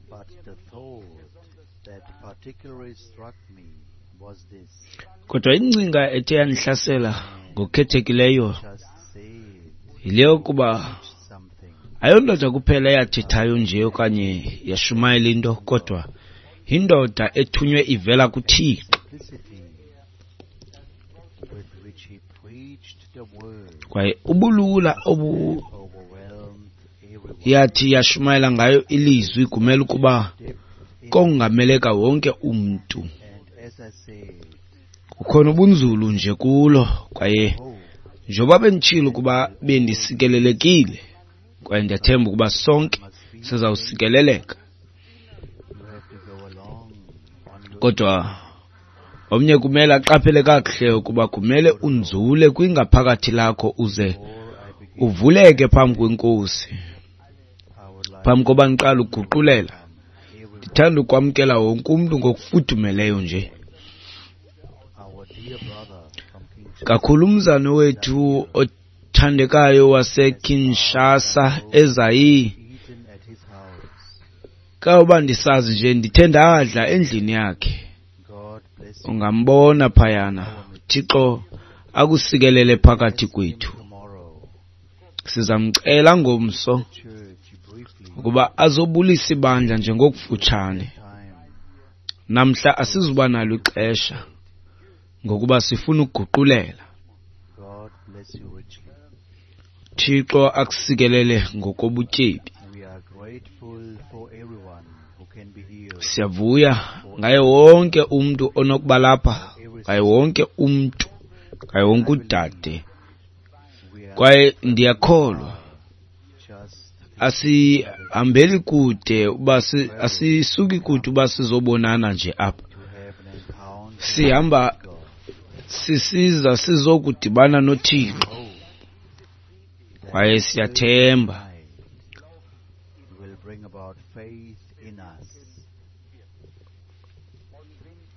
But the thought that particularly struck me was this. Kodwa ingcinga ethe yandihlasela ngokukhethekileyo Just said yile yokuba something. ayondoda kuphela eyathethayo nje okanye yashumayela into, kodwa yindoda ethunywe ivela kuThixo. Simplicity with which he preached the word Kwaye ubulula obu overwhelmed everyone. yathi yashumayela ngayo ilizwi kumele ukuba Depth in kongameleka wonke umntu. And as I said, Kukhona ubunzulu nje kulo, kwaye hope njengoba benditshilo ukuba bendisikelelekile, kwaye ndiyathemba ukuba sonke sizawusikeleleka. you have to go along on your Kodwa omnye kumele aqaphele kakuhle ukuba kumele unzule kwingaphakathi lakho uze before I begin, uvuleke phambi kweNkosi. I would like Phambi koba ndiqale ukuguqulela, everyone, ndithanda ukwamkela wonke umntu ngokufudumeleyo nje. our dear brother from Kinshasa, Kakhulu umzane wethu othandekayo waseKinshasa eZaire. eaten at his house. Kawuba ndisazi nje ndithe ndadla endlini yakhe. God bless you Ungambona phayana. Thixo akusikelele phakathi kwethu. tomorrow. Sizamcela ngomso Church briefly ukuba azobulisa ibandla nje ngokufutshane. time. Namhla asizuba nalo ixesha ngokuba sifuna ukuguqulela. God bless you richly. Thixo akusikelele ngokobutyebi. We are grateful for everyone who can be here. Siyavuya ngaye wonke umntu onokuba lapha, ngaye wonke umntu, ngaye wonke udade. We are Kwaye ndiyakholwa just asihambeli kude uba asisuki kude uba sizobonana nje apha. to have an encounter Sihamba with God. sisiza sizokudibana noThixo. Hope that Kwaye siyathemba tonight will bring about faith in us.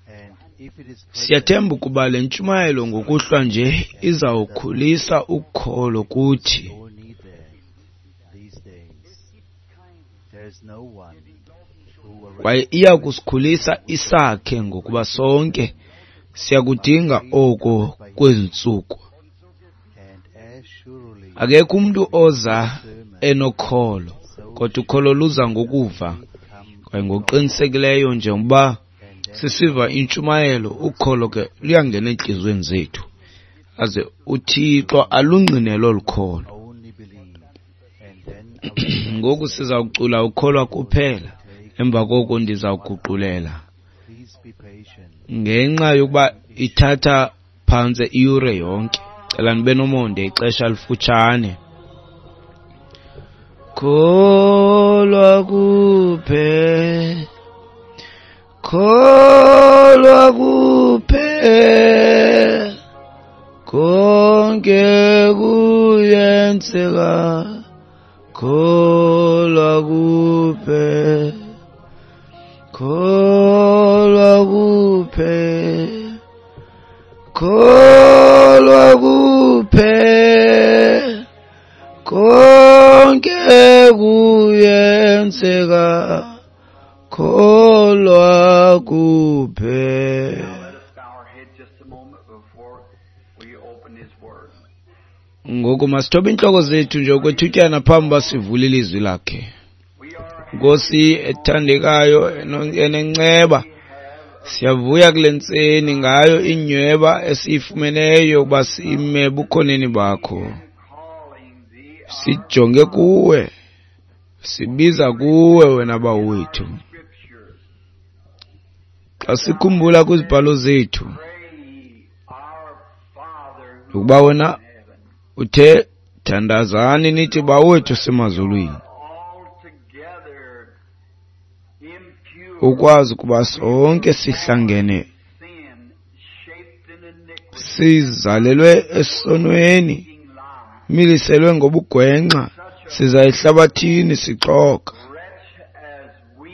And if it is present, Siyathemba ukuba le ntshumayelo ngokuhlwa nje izawukhulisa ukholo kuthi. we all need that these days. There is no one who will Kwaye iya kusikhulisa isakhe ngokuba sonke siyakudinga oko kwezi ntsuku. and as surely Akekho umntu oza enokholo, kodwa ukholo luza ngokuva. come Kwaye ngokuqinisekileyo njengoba and then sisiva intshumayelo, ukholo ke luyangena entliziyweni zethu, aze uThixo alungqine olu kholo. only believe, and then I will Ngoku sizawucula ukholwa kuphela, emva koko ndizawuguqulela. please be patient. Ngenxa yokuba ithatha phantse iyure yonke, cela nibe nomonde ixesha lifutshane. Kholwa kuphela, kholwa kuphela, konke kuyenzeka, kholwa kuphela, kholwa kuphela, kholwa kuphela, konke kuyenzeka, kholwa kuphela. Now let us bow our head just a moment before we open His Word. Ngoku masithobe iintloko zethu nje okwethutyana phambi uba sivule ilizwi lakhe. We are Nkosi ethandekayo enenceba, siyavuya kule ntseni ngayo inyweba esiyifumeneyo ukuba sime ebukhoneni bakho. calling Thee our Sijonge kuwe, sibiza kuwe wena Bawo wethu. Scriptures. Xa sikhumbula kwizibhalo zethu Pray ye, our Father who ukuba art wena in heaven. uthe thandazani nithi Bawo wethu semazulwini, Altogether impure ukwazi ukuba sonke sihlangene sin, shaped in iniquity, sizalelwe esonweni, speaking lies. miliselwe ngobugwenxa, siza ehlabathini sixoka. Wretch as we,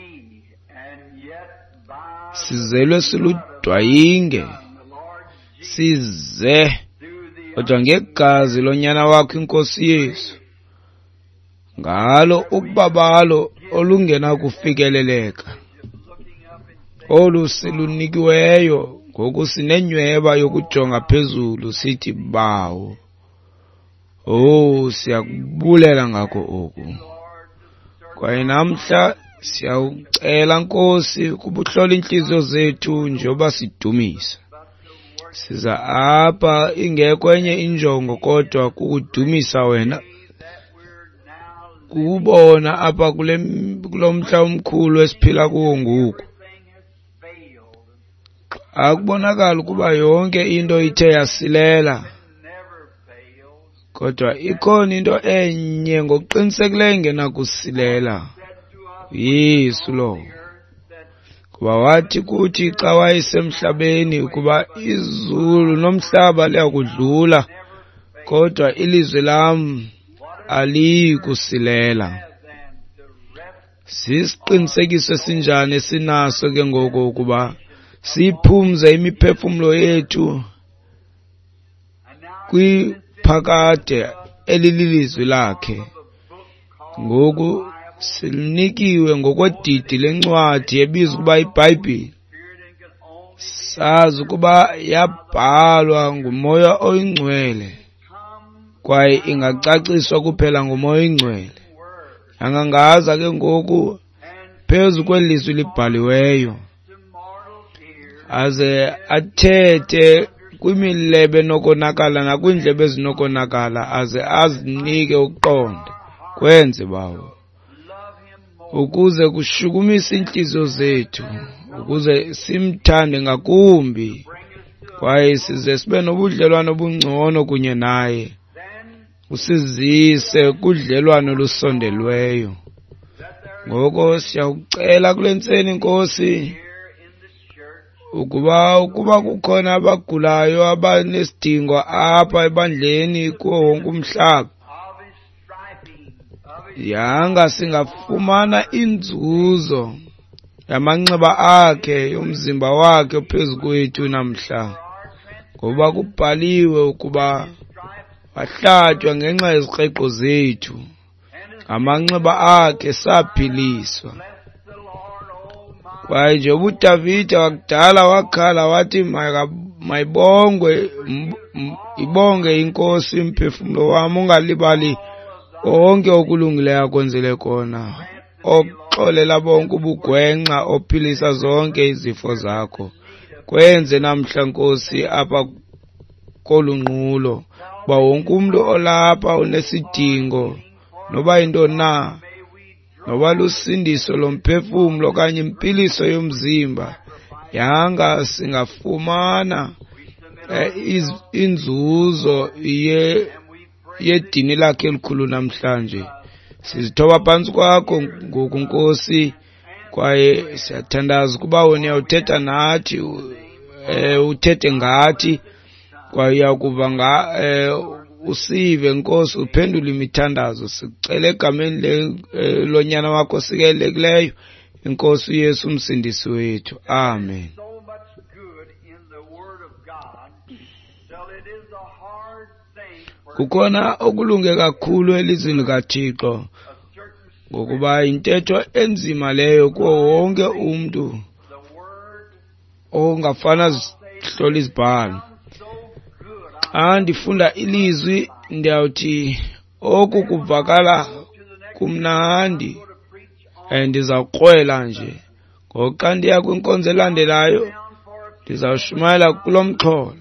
and yet by Sizelwe siludwayinge, the Lord Jesus size through the kodwa ngegazi lonyana wakho iNkosi Yesu, ngalo ukubabalo olungenakufikeleleka olu silunikiweyo. Ngoku sinenyhweba yokujonga phezulu sithi, Bawo, oh, siyakubulela ngako oku. Kwaye namhla siyawucela, Nkosi, ukuba uhlole iintliziyo zethu njengoba sidumisa. Siza apha ingekho enye injongo kodwa kukudumisa wena, kukubona apha kulo mhla omkhulu esiphila kuwo ngoku. Akubonakala ukuba yonke into ithe yasilela, kodwa ikhona into enye ngokuqinisekileyo engenakusilela, Yesu lowo. Kuba wathi kuthi xa wayesemhlabeni ukuba izulu nomhlaba liyakudlula, kodwa ilizwi lam aliyi kusilela. Sisiqinisekiso esinjani esinaso ke ngoku ukuba siphumze imiphefumlo yethu kwiphakade elililizwi lakhe. Ngoku silinikiwe ngokwedidi lencwadi ebizwa ukuba iBhayibhile. Sazi ukuba yabhalwa nguMoya oyiNgcwele kwaye ingacaciswa kuphela nguMoya oyiNgcwele. Angangaza ke ngoku phezu kweli lizwi libhaliweyo, aze athethe kwimilebe enokonakala nakwiindlebe ezinokonakala, aze azinike ukuqonda. Kwenze, Bawo, ukuze kushukumise iintliziyo zethu, ukuze simthande ngakumbi kwaye size sibe nobudlelwane obungcono kunye naye, usizise kudlelwano olusondelweyo. Ngoko siyakucela kule ntseni, Nkosi, ukuba kukhona abagulayo abanesidingo apha ebandleni kuwo wonke umhlaba, yanga singafumana inzuzo yamanxeba akhe, yomzimba wakhe phezu kwethu namhla, ngoba kubhaliwe ukuba wahlatywa ngenxa yezikreqo zethu, ngamanxeba akhe saphiliswa. Kwaye nje uDavide wakudala wakhala wathi, mayibongwe, ibonge iNkosi umphefumlo wam, ungalibali konke okulungileyo akwenzele kona, oxolela bonke ubugwenxa, ophilisa zonke izifo zakho. Kwenze namhla, Nkosi, apha kolu nqulo, uba wonke umntu olapha unesidingo, noba yintoni na, noba lusindiso lomphefumlo okanye impiliso yomzimba, yanga singafumana inzuzo yedini lakhe elikhulu namhlanje. Sizithoba phantsi kwakho ngoku, Nkosi, kwaye siyathandaza ukuba wena uyawuthetha nathi, uthethe ngathi, kwaye uyakuva usive, Nkosi, uphendule imithandazo. Sicela egameni lonyana wakho osikelekileyo, iNkosi uYesu umsindisi wethu. Amen. Kukhona okulunge kakhulu elizwini likaThixo, ngokuba yintetho enzima leyo kuwo wonke umntu ongafana zihlole izibhalo. Xa ndifunda ilizwi ndiyawuthi oku kuvakala kumnandi, ndizawukrwela nje. Ngoku xa ndiya kwinkonzo elandelayo ndizawushumayela kulo mxholo,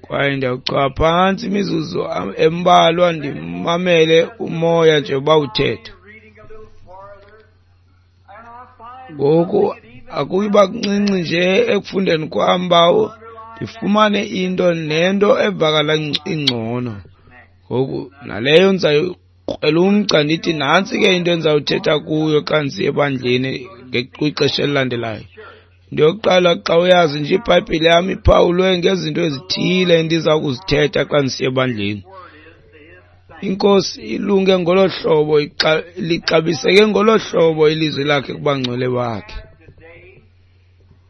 kwaye ndiyawuchwa phantsi imizuzu embalwa ndimamele umoya nje uba uthetha. Ngoku akuyiba kuncinci nje ekufundeni kwam, Bawo, ndifumane into nento evakala ingcono. Ngoku naleyo ndizayikrwela umgca ndithi nantsi ke into endizawuthetha kuyo xa ndisiya ebandleni kwixesha elilandelayo. Into yokuqala, xa uyazi nje iBhayibhile yam iphawulwe ngezinto ezithile endiza kuzithetha xa ndisiya ebandleni. INkosi ilunge ngolo hlobo, lixabiseke ngolo hlobo ilizwi lakhe kubangcwele bakhe.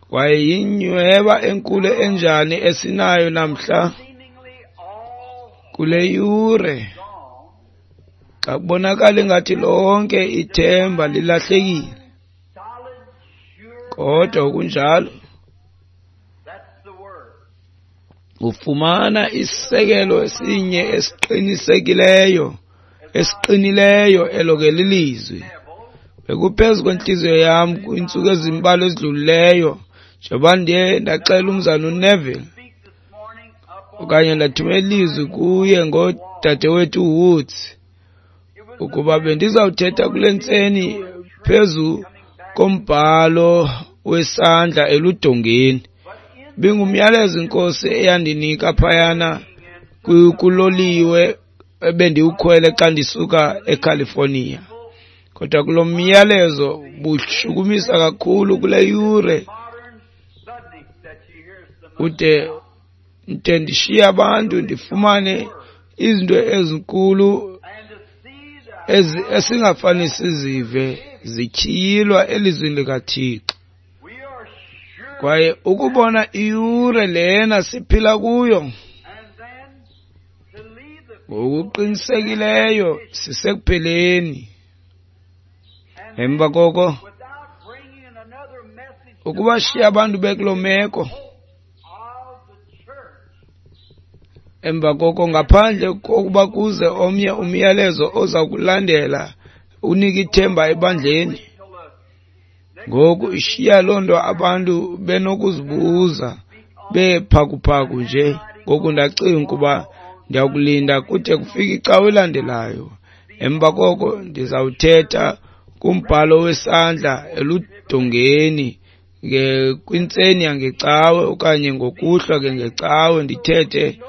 Kwaye yinyweba enkulu enjani esinayo namhla kule yure Xa kubonakala ingathi lonke ithemba lilahlekile, kodwa kunjalo ufumana isisekelo esinye esiqinisekileyo, esiqinileyo, elo ke lilizwi. Bekuphezu kwentliziyo yam kwiintsuku ezimbalwa ezidlulileyo, njengoba ndiye ndaxela umzana uNeville, okanye ndathumela ilizwi kuye ngodadewethu Woods, ukuba bendizawuthetha kule ntseni phezu kombhalo wesandla eludongeni. Bingumyalezo inkosi eyandinika phayana kuloliwe ebendiwukhwele xa ndisuka eCalifornia. Kodwa kulo myalezo bushukumisa kakhulu kule yure, ude nde ndishiye abantu ndifumane izinto ezinkulu esingafani sizive zityhilwa elizwini likaThixo. Kwaye ukubona iyure lena siphila kuyo, ngokuqinisekileyo sisekupheleni. Emva koko ukubashiya abantu bekuloo meko, emva koko ngaphandle kokuba kuze omnye umyalezo oza kulandela unike ithemba ebandleni. Ngoku ishiya loo nto abantu benokuzibuza bephakuphaku nje. Ngoku ndacinga ukuba ndiyakulinda kude kufike icawe elandelayo. Emva koko ndizawuthetha kumbhalo wesandla eludongeni kwintseni yangecawe okanye ngokuhlwa ke ngecawe, ndithethe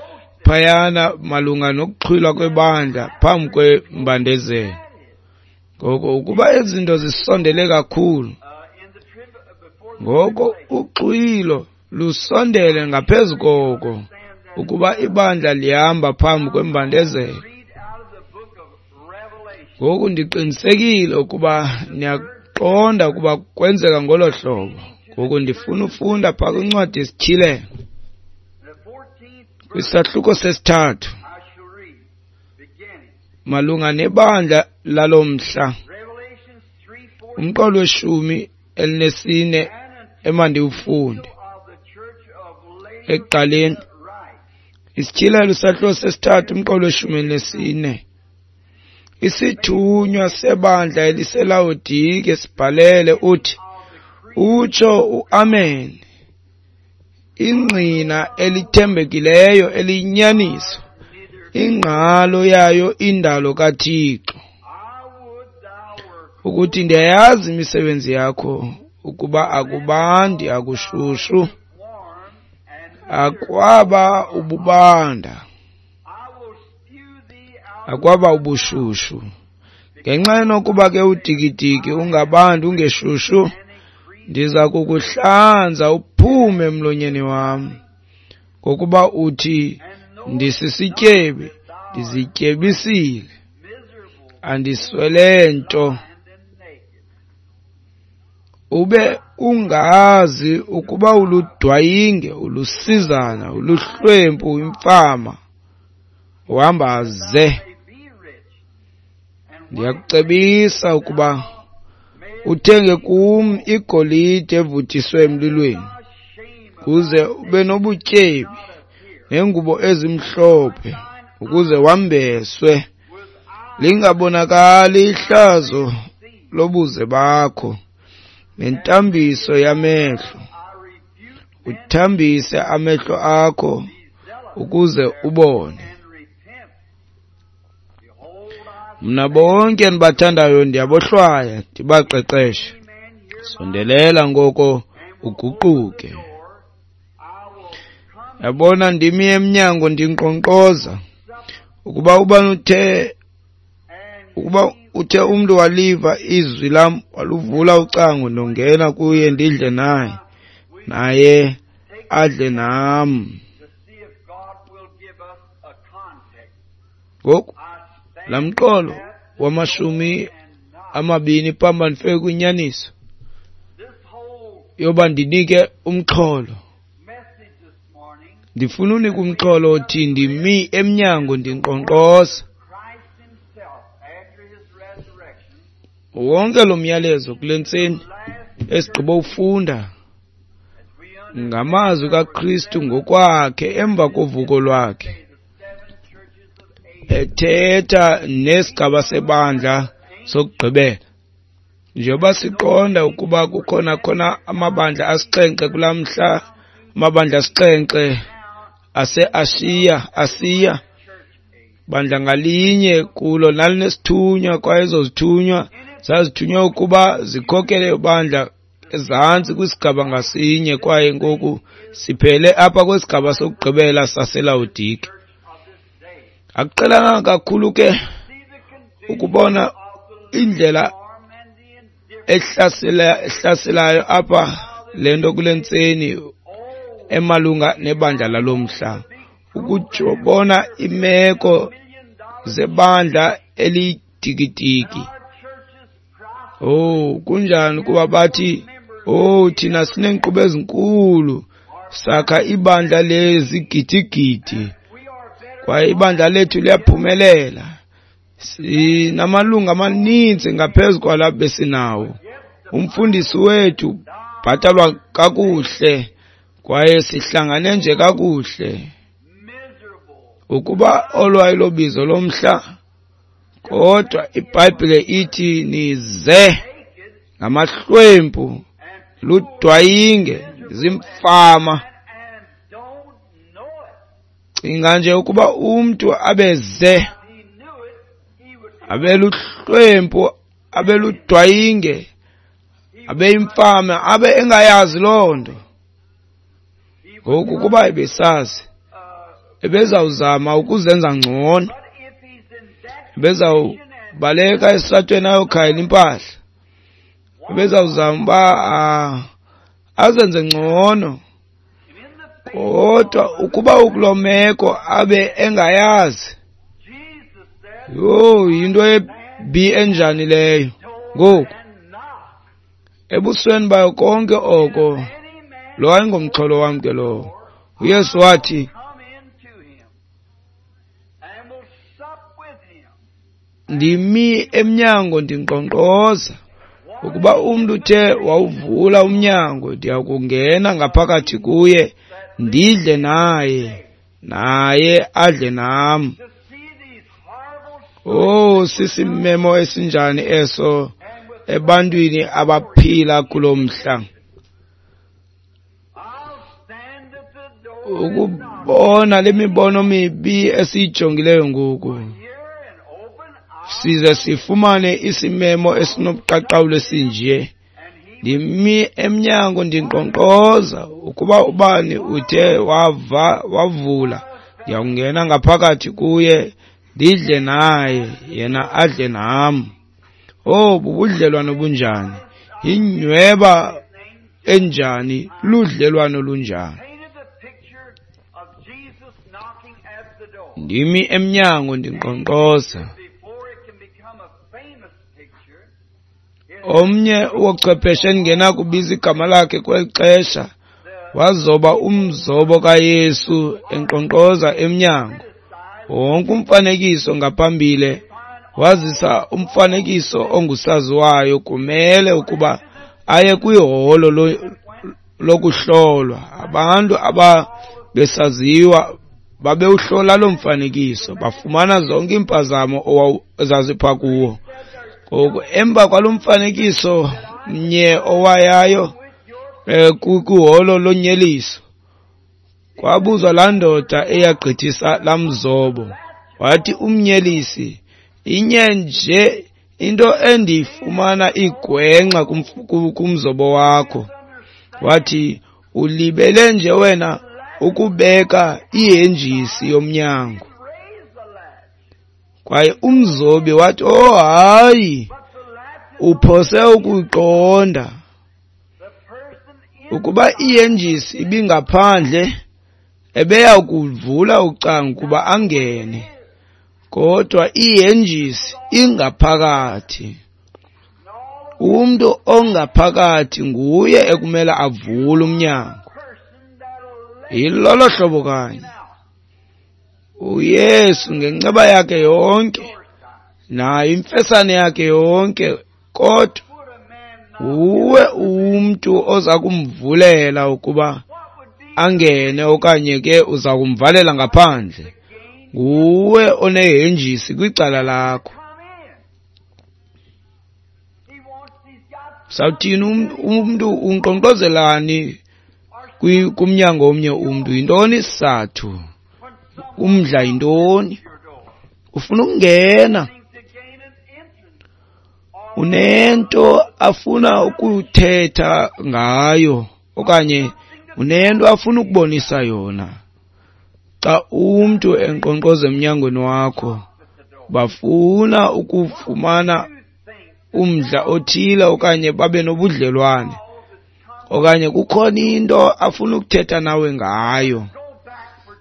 phayana malunga nokuxhwilwa kwebandla phambi kwembandezelo. Ngoko ukuba ezi zinto zisondele kakhulu, ngoko uxhwilo lusondele ngaphezu koko ukuba ibandla lihamba phambi kwembandezelo. Ngoku ndiqinisekile ukuba niyaqonda ukuba kwenzeka ngolo hlobo. Ngoku ndifuna ufunda phaa kwincwadi yesiTyhilelo, kwisahluko sesithathu, malunga nebandla lalo mhla, umqolo weshumi elinesine emandiwufunde. Ekuqaleni, isiTyhilelo isahluko sesithathu, umqolo weshumi elinesine. Isithunywa sebandla eliseLawodike sibhalele uthi, utsho uAmen, ingqina elithembekileyo eliyinyaniso, ingqalo yayo indalo kaThixo, ukuthi ndiyayazi imisebenzi yakho, ukuba akubandi akushushu, akwaba ububanda, akwaba ubushushu. Ngenxa yokuba ke udikidiki ungabandi ungeshushu, ndiza kukuhlanza uphume emlonyeni wam, ngokuba uthi ndisisityebi, ndizityebisile, andiswele nto. Ube ungazi ukuba uludwayinge, ulusizana, uluhlwempu, imfama, uhamba ze. Ndiyakucebisa ukuba uthenge kum igolide evuthiswe emlilweni, ukuze ube nobutyebi, neengubo ezimhlophe, ukuze wambeswe, lingabonakali ihlazo lobuze bakho, nentambiso yamehlo, uthambise amehlo akho ukuze ubone. Mna bonke endibathandayo ndiyabohlwaya, ndibaqeqeshe. Sondelela ngoko uguquke. Yabona, ndimi emnyango ndinkqonkqoza. Ukuba uthe umntu waliva izwi lam, waluvula ucango, ndongena kuye ndidle naye, naye adle nam. Ngoku laa mqolo wamashumi amabini phambi ndifike kwinyaniso yoba ndinike umxholo. Ndifuna unika umxholo othi ndimi emnyango ndinkqonkqoza. Wonke lo myalezo kule ntseni esigqibo ufunda ngamazwi kaKristu ngokwakhe emva kovuko lwakhe, ethetha nesigaba sebandla sokugqibela. Njengoba siqonda ukuba kukhona khona amabandla asixhenxe kulaa mhla, amabandla asixhenxe ase-Asiya, Asiya, bandla ngalinye kulo lalinesithunywa, kwaye ezo zithunywa zazithunywe ukuba zikhokele ibandla ezantsi kwisigaba ngasinye. Kwaye ngoku siphele apha kwisigaba sokugqibela saseLawodike. Akuqhelanga kakhulu ke ukubona indlela ehlaselayo apha le nto kule ntseni emalunga nebandla lalo mhla, ukubona imeko zebandla eliyidikidiki. Oh, kunjani kuba bathi, oh, thina sineenkqubo ezinkulu, sakha ibandla lezigidigidi, kwaye ibandla lethu liyaphumelela, sinamalungu amaninzi ngaphezu kwala besinawo, umfundisi wethu bhatalwa kakuhle, kwaye sihlangane nje kakuhle. Ukuba olwayilobizo lomhla, kodwa iBhayibhile ithi nize ngamahlwempu, ludwayinge, zimfama. Cinga nje ukuba umntu abeze, abeluhlwempu, abeludwayinge, abeyimfama, abe engayazi loo nto. Ngoku kuba ebesazi, ebezawuzama ukuzenza ngcono, ebezawubaleka esitratweni ayokhayela impahla, ebezawuzama uba azenze ngcono. Kodwa ukuba ukuloo meko abe engayazi, yho, yinto ebi enjani leyo. Ngoku ebusweni bayo konke oko, lo ayingomxholo wam ke lowo. uYesu wathi, ndimi emnyango ndinkqonkqoza, ukuba umntu uthe wawuvula umnyango, ndiya kungena ngaphakathi kuye, ndidle naye, naye adle nam. Oh, sisimemo esinjani eso ebantwini abaphila kulo mhla. Ukubona le mibono mibi esiyijongileyo ngoku, size sifumane isimemo esinobuqaqawuli esinje. Ndimi emnyango ndinkqonkqoza, ukuba ubani uthe wavula, ndiyakungena ngaphakathi kuye, ndidle naye, yena adle nam. Oh, bubudlelwano bunjani, yinyweba enjani, ludlelwano lunjani. Ndimi emnyango ndinkqonkqoza. Omnye wochwepheshe endingenakubiza igama lakhe kweli xesha wazoba umzobo kaYesu enkqonkqoza emnyango. Wonke umfanekiso ngaphambili wazisa umfanekiso ongusaziwayo kumele ukuba aye kwiholo lokuhlolwa. Abantu ababesaziwa babewuhlola lo mfanekiso, bafumana zonke iimpazamo ezazipha kuwo. Ngoku emva kwalo mfanekiso mnye owayayo kwiholo lonyeliso, kwabuzwa laa ndoda eyagqithisa laa mzobo. Wathi umnyelisi, inye nje into endiyifumana igwenxa kumzobo wakho. Wathi, ulibele nje wena ukubeka ihenjisi yomnyango. Kwaye umzobi wathi, oh hayi, uphose ukuqonda ukuba ihenjisi ibingaphandle, ebeya kuvula ucango kuba angene, kodwa ihenjisi ingaphakathi. Umntu ongaphakathi nguye ekumele avule umnyango. Yilolo hlobo kanye uYesu ngenceba yakhe yonke nayo imfesane yakhe yonke Kodwa nguwe umntu oza kumvulela ukuba angene okanye ke uza kumvalela ngaphandle. Nguwe onehenjisi kwicala lakho. Sawuthini umntu unkqonkqozelani kumnyango omnye umntu? Yintoni isizathu? Umdla yintoni? Ufuna ukungena. Unento afuna ukuthetha ngayo okanye unento afuna ukubonisa yona. Xa umntu enkqonkqoza emnyangweni wakho, bafuna ukufumana umdla othile okanye babe nobudlelwane okanye kukhona into afuna ukuthetha nawe ngayo.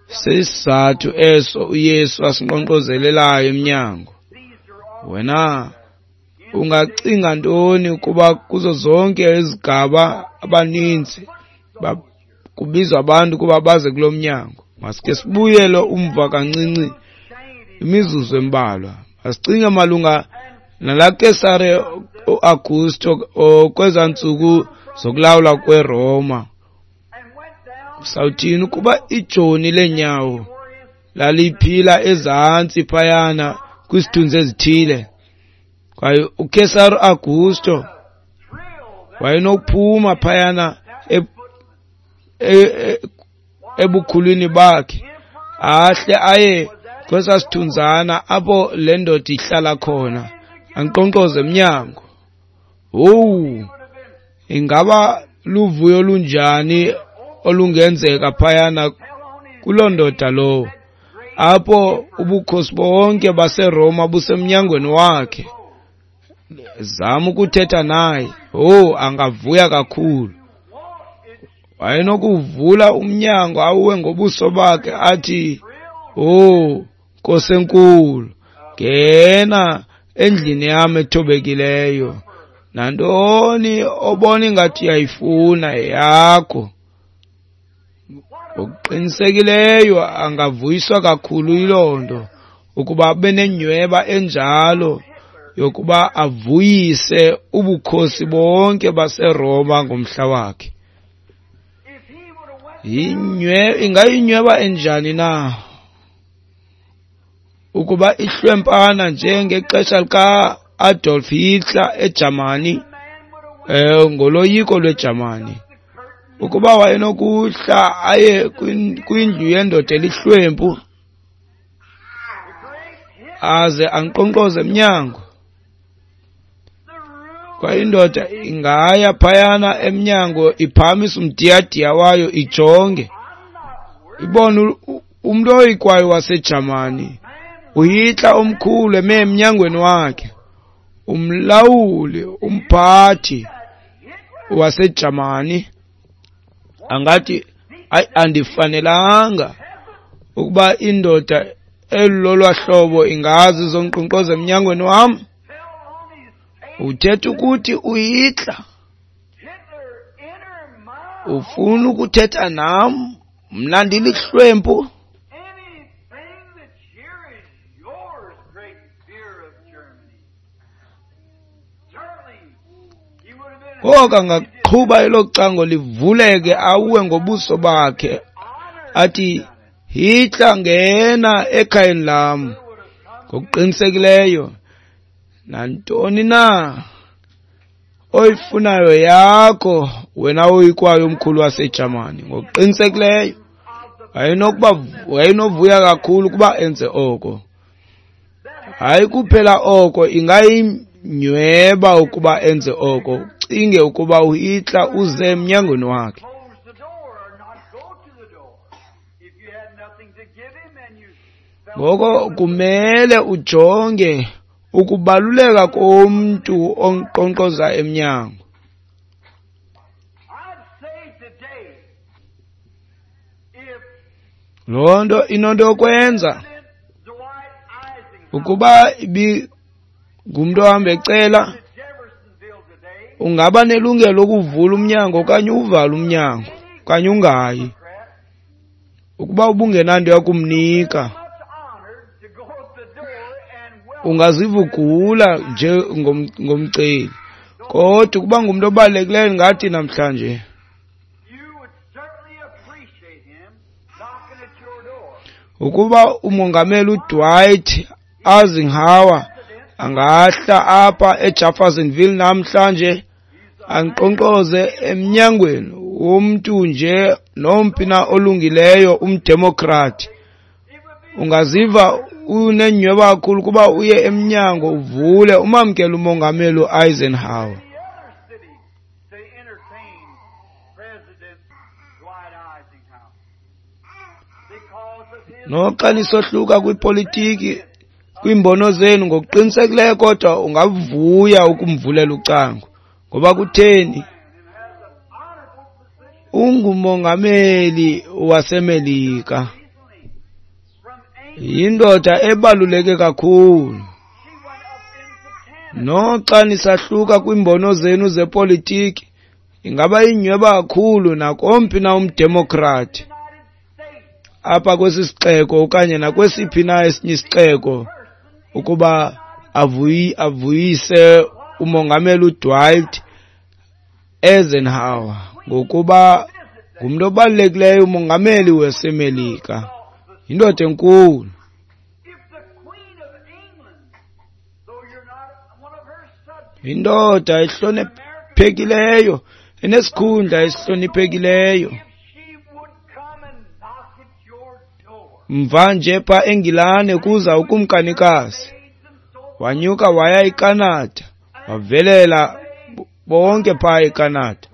Sisizathu eso uYesu asinkqonkqozelelayo emnyango. Wena ungacinga ntoni ukuba kuzo zonke izigaba abaninzi kubizwa abantu ukuba baze kulo mnyango? Masike sibuyele umva kancinci imizuzu embalwa. Masicinge malunga nalaa Kesare uAugusto kwezaa ntsuku zokulawula kweRoma. Sawuthini ukuba ijoni leenyawo laliphila ezantsi phayana kwizithunzi ezithile, kwaye uKesare Augusto wayenokuphuma phayana ebukhulwini bakhe ahle aye kwesaa sithunzana apho le ndoda ihlala khona, ankqonkqoze emnyango. Owu, ingaba luvuyo olunjani olungenzeka phayana kuloo ndoda lowo, apho ubukhosi bonke baseRoma busemnyangweni wakhe. Zama ukuthetha naye. Owu, angavuya kakhulu. Wayenokuvula umnyango awuwe ngobuso bakhe athi, "Owu, Nkosi enkulu, ngena endlini yam ethobekileyo. Nantoni obona ingathi uyayifuna yeyakho." Ngokuqinisekileyo angavuyiswa kakhulu yiloo nto, ukuba abe nenyhweba enjalo yokuba avuyise ubukhosi bonke baseRoma ngomhla wakhe. Ingayinyhweba enjani na ukuba ihlwempana njengexesha lika-Adolf Hitler eJamani, ngoloyiko lweJamani, ukuba wayenokuhla aye kwindlu yendoda elihlwempu aze ankqonkqoze emnyango, kwaye indoda ingaya phayana emnyango iphakamisa umdiyadiya wayo ijonge, ibone umntu oyikwayo waseJamani, uHitler omkhulu eme emnyangweni wakhe, umlawuli, umphathi waseJamani. Angathi, hayi, andifanelanga ukuba indoda elolwa hlobo ingazi izonkqonkqoza emnyangweni wam. Uthetha ukuthi uHitler ufuna ukuthetha nam, mna ndilihlwempu? Ngoko angaqhuba elo cango livuleke awuwe ngobuso bakhe athi, Hitler, ngena ekhayeni lam. Ngokuqinisekileyo nantoni na oyifunayo yakho, wena oyikwayo omkhulu waseJamani. Ngokuqinisekileyo wayenovuya kakhulu ukuba enze oko. Hayi kuphela oko, ingayinyhweba ukuba enze oko. Ucinge ukuba uHitler uze emnyangweni wakhe. Ngoko kumele ujonge ukubaluleka komntu onkqonkqoza emnyango. Loo nto inonto yokwenza ukuba ibingumntu ohamba ecela, ungaba nelungelo lokuvula umnyango okanye uvale umnyango okanye ungayi. Ukuba ubungenanto yakumnika, ungaziva ugula nje ngomceli. Kodwa ukuba ngumntu obalulekileyo ngathi namhlanje, ukuba umongameli uDwight Eisenhower angahla apha eJeffersonville namhlanje anqonqoze emnyangweni womntu nje nomphi na olungileyo umdemokrati, ungaziva unenyhweba kakhulu kuba uye emnyango uvule umamkele umongameli uEisenhower. Noxa nisohluka kwipolitiki, kwiimbono zenu ngokuqinisekileyo, kodwa ungavuya ukumvulela ucango. Ngoba kutheni? Ungumongameli waseMelika, yindoda ebaluleke kakhulu. Noxa nisahluka kwiimbono zenu zepolitiki, ingaba inyhweba kakhulu nakomphi na umdemokrati apha kwesi sixeko okanye nakwesiphi na esinye isixeko ukuba avuyise umongameli uDwight Eisenhower, ngokuba ngumntu obalulekileyo umongameli waseMelika, yindoda enkulu. Indoda ehloniphekileyo, enesikhundla esihloniphekileyo. Mva nje pha eNgilane kuza ukumkanikazi, wanyuka waya eCanada, wavelela bonke pha eCanada.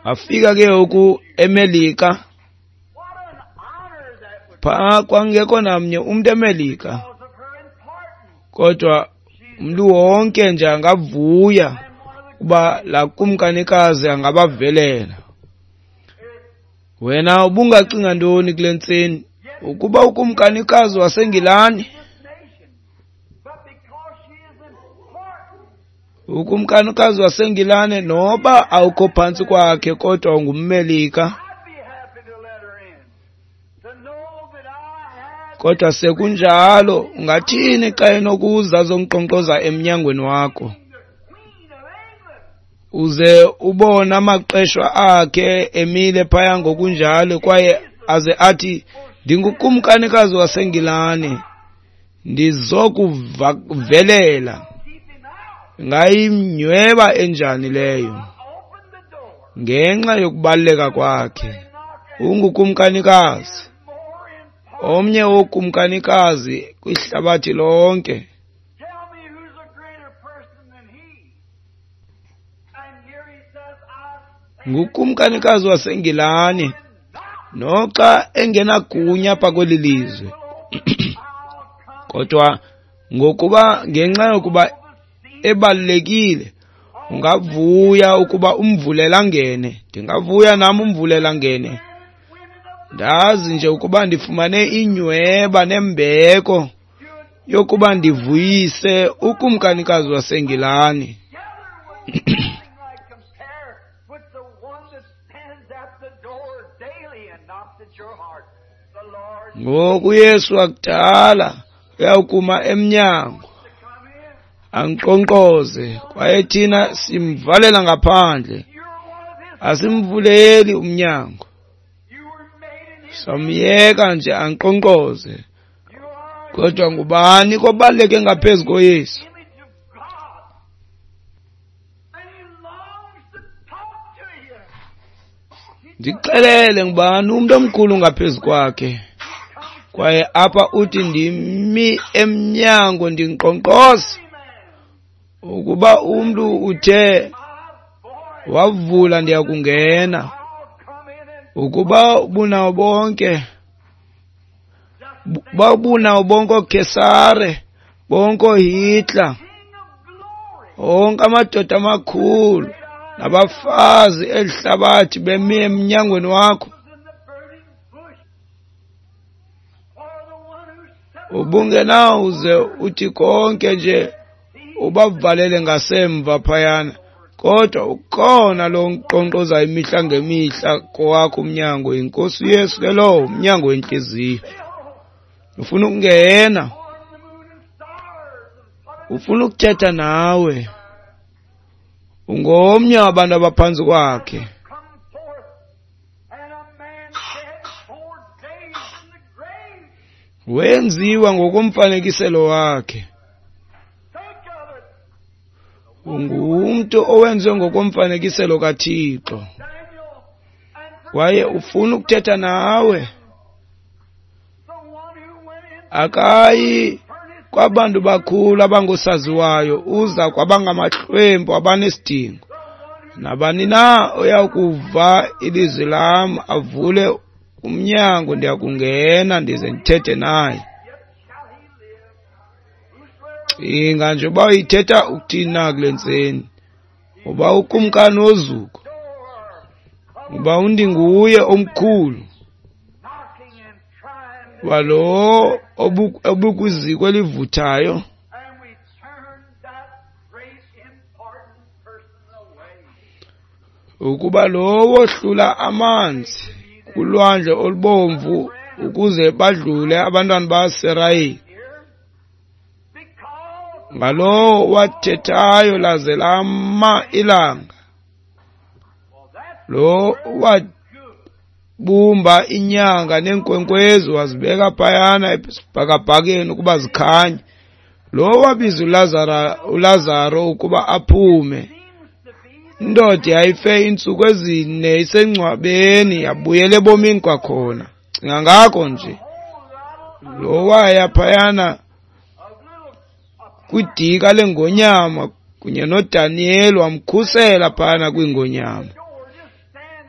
Afika ke ngoku eMelika, pha kwangekho namnye umntu eMelika, kodwa umntu wonke nje angavuya uba laa kumkanikazi angabavelela. Wena ubungacinga ntoni kule ntseni ukuba ukumkanikazi waseNgilani, ukumkanikazi waseNgilane noba awukho phantsi kwakhe kodwa ungummelika, kodwa sekunjalo ungathini xa enokuza azonkqonkqoza emnyangweni wakho, uze ubone amaqeshwa akhe emile phaya ngokunjalo, kwaye aze athi, ndingukumkanikazi waseNgilane, ndizokuvelela. Ingayinyweba enjani leyo? Ngenxa yokubaluleka kwakhe, ungukumkanikazi, omnye wokumkanikazi kwihlabathi lonke. Ngukumkanikazi waseNgilani, noxa engenagunya apha kweli lizwe, kodwa ngokuba ngenxa yokuba ebalulekile, ungavuya ukuba umvulela angene. Ndingavuya nam umvulela angene. Ndazi nje ukuba ndifumane inyweba nembeko yokuba ndivuyise ukumkanikazi waseNgilani. Ngoku uYesu wakudala uyawukuma emnyango anqonqoze, kwaye thina simvalela ngaphandle, asimvuleli umnyango, samyeka nje anqonqoze. Kodwa ngubani kobaluleke ngaphezu koYesu? Ndixelele, ngubani umntu omkhulu ngaphezu kwakhe? Kwaye apha uthi, ndimi emnyango ndinkqonkqoza. Ukuba umntu uthe wavula, ndiyakungena. Ukuba ubunawo bonke, babunawo bonke ooKhesare, bonke ooHitler, onke amadoda amakhulu nabafazi elihlabathi bemi emnyangweni wakho, ubungenawuze uthi konke nje ubavalele ngasemva phayana, kodwa ukhona lo nkqonkqoza imihla ngemihla kowakho umnyango, iNkosi uYesu ke lowo, umnyango wentliziyo. Ufuna ukungena, Ufuna ukuthetha nawe. Ungomnye wabantu abaphantsi kwakhe. Wenziwa ngokomfanekiselo wakhe. Ungumntu owenziwe ngokomfanekiselo kaThixo. Kwaye ufuna ukuthetha nawe. Akayi kwabantu bakhulu abangosaziwayo, uza kwabangamahlwempu abanesidingo. Nabani na oyakuva ilizwi lam avule umnyango, ndiyakungena ndize ndithethe naye. Cinga nje uba uyithetha ukuthini na kule ntseni, uba ukumkani wozuko, uba undinguye omkhulu, uba lo obukwiziko elivuthayo. Ukuba lo wohlula amanzi kulwandle olubomvu ukuze badlule abantwana baSirayeli, ngalowo wathethayo laze lama ilanga, lo wabumba inyanga neenkwenkwezi wazibeka phayana esibhakabhakeni ukuba zikhanye, lo wabiza uLazaro ukuba aphume. Indoda yayife iintsuku ezine isengcwabeni, yabuyela ebomini kwakhona. Cinga ngako nje. Lo waya phayana kwidika lengonyama kunye noDaniyeli, wamkhusela phayana kwingonyama.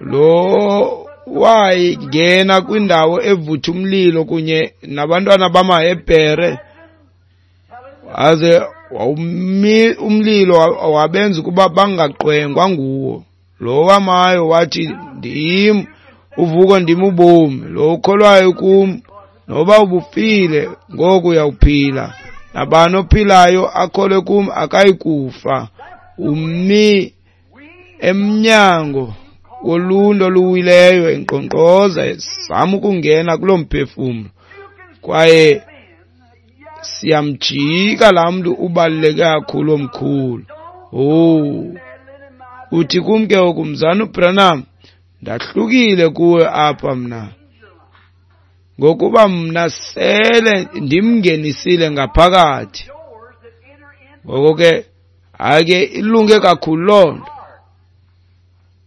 Lo wayengena kwindawo evutha umlilo kunye nabantwana bamaHebhere, aze umlilo wabenza ukuba bangaqwengwa nguwo. Lo wamayo wathi, ndim uvuko, ndim ubomi, lo ukholwayo kum noba ubufile ngoku uyawuphila, nabani ophilayo akholwe kum akayi kufa. Umi emnyango woluntu oluwileyo enkqonkqoza ezama ukungena kuloo mphefumlo, kwaye siyamjika laa mntu ubaluleke kakhulu omkhulu. Oh, uthi kum ke ngoku, Mzana uBranham, ndahlukile kuwe apha mna, ngokuba mna sele ndimngenisile ngaphakathi. Ngoko ke hayi ke ilunge kakhulu loo nto.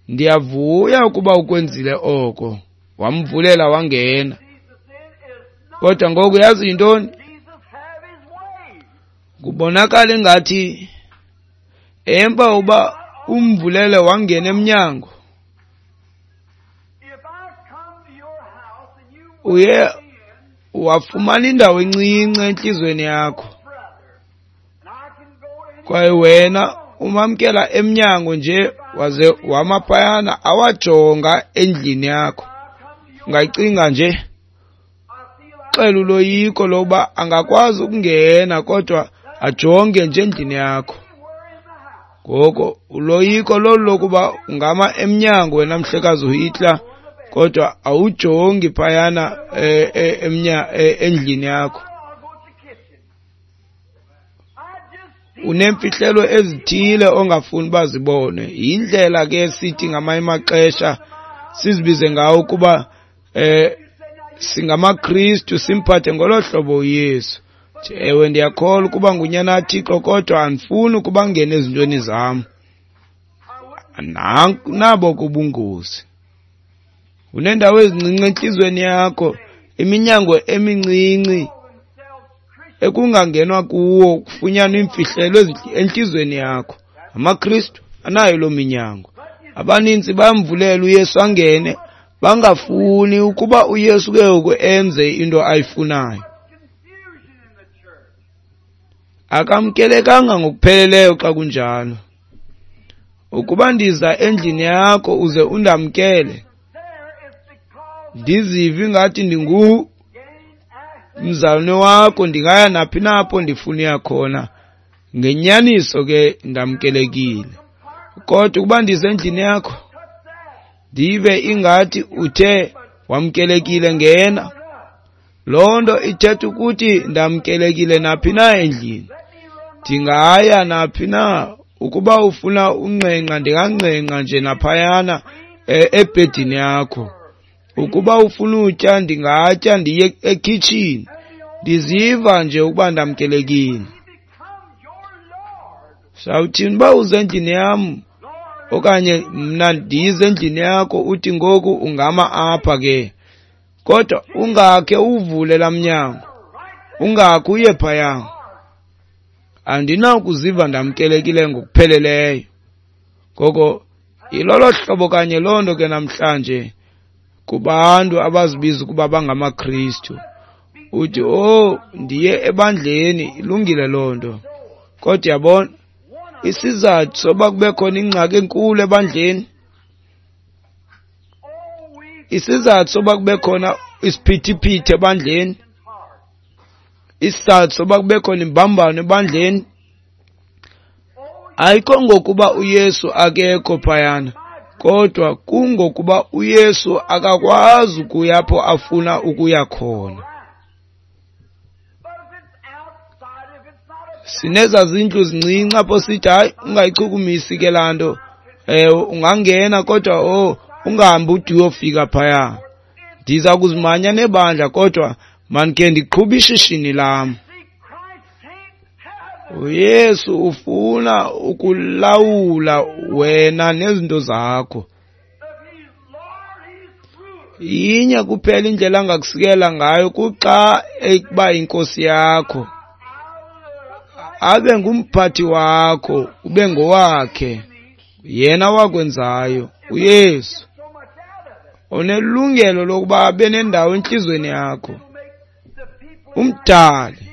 Ndiyavuya ukuba ukwenzile oko, wamvulela wangena. Kodwa ngoku yazi yintoni? Kubonakala ingathi emva uba umvulele wangena emnyango, uye wafumana indawo encinci entliziyweni yakho, kwaye wena umamkela emnyango nje waze wama phayana awajonga endlini yakho. Ungacinga nje xela uloyiko lokuba angakwazi ukungena kodwa ajonge nje endlini yakho. Ngoko uloyiko lolu lokuba ungama emnyango wena mhlekazi uHitler, kodwa awujongi phayana endlini yakho. Unemfihlelo ezithile ongafuni bazibone. Yindlela ke sithi ngamanye amaxesha sizibize ngawo ukuba singamaKristu, simphathe ngolo hlobo uYesu. Ewe, ndiyakholwa ukuba ngunyana kaThixo, kodwa andifuni ukuba ngene ezintweni zam. Nabo kubungozi. Unendawo ezincinci entliziyweni yakho, iminyango emincinci ekungangenwa kuwo kufunyanwa iimfihlelo entliziyweni yakho. AmaKristu anayo loo minyango. Abaninzi bayamvulela uYesu angene, bangafuni ukuba uYesu ke ngoku enze into ayifunayo. Akamkelekanga ngokupheleleyo xa kunjalo. Ukuba ndiza endlini yakho uze undamkele, ndizive ngathi ndingu mzalwane wakho, ndingaya naphi na apho ndifuna uya khona, ngenyaniso ke ndamkelekile. Kodwa ukuba ndize endlini yakho ndive ingathi uthe wamkelekile, ngena, loo nto ithetha ukuthi ndamkelekile naphi na endlini. Ndingaya naphi na, ukuba ufuna unqenqa ndinganqenqa nje naphayana ebhedini yakho. Ukuba ufuna utya ndingatya ndiye ekhitshini. Ndiziva nje ukuba ndamkelekile. Sawuthini uba uze endlini yam okanye mna ndize endlini yakho, uthi ngoku ungama apha ke, kodwa ungakhe uvule laa mnyango, ungakhe uye phaya. Andinakuziva ndamkelekile ngokupheleleyo. Ngoko yilolo hlobo kanye loo nto ke namhlanje kubantu abazibiza ukuba bangamaKristu. Uthi, oh, ndiye ebandleni, ilungile loo nto. Kodwa yabona, isizathu soba kube khona ingxaki enkulu ebandleni, isizathu soba kube khona isiphithiphithi ebandleni, isizathu soba kube khona imbambano ebandleni, ayikho ngokuba uYesu akekho phayana, kodwa kungokuba uYesu akakwazi ukuya apho afuna ukuya khona. Sineza zindlu zincinci apho sithi hayi ungayichukumisi ke laa nto, ungangena kodwa ungahambi ude uyofika phaya. Ndiza kuzimanya nebandla kodwa mandikhe ndiqhube ishishini lam. uYesu ufuna ukulawula wena nezinto zakho. Inye kuphela indlela angakusikela ngayo kuxa ekuba inkosi yakho, abe ngumphathi wakho, ube ngowakhe, yena wakwenzayo. uYesu unelungelo lokuba abe nendawo entliziyweni yakho, umdali.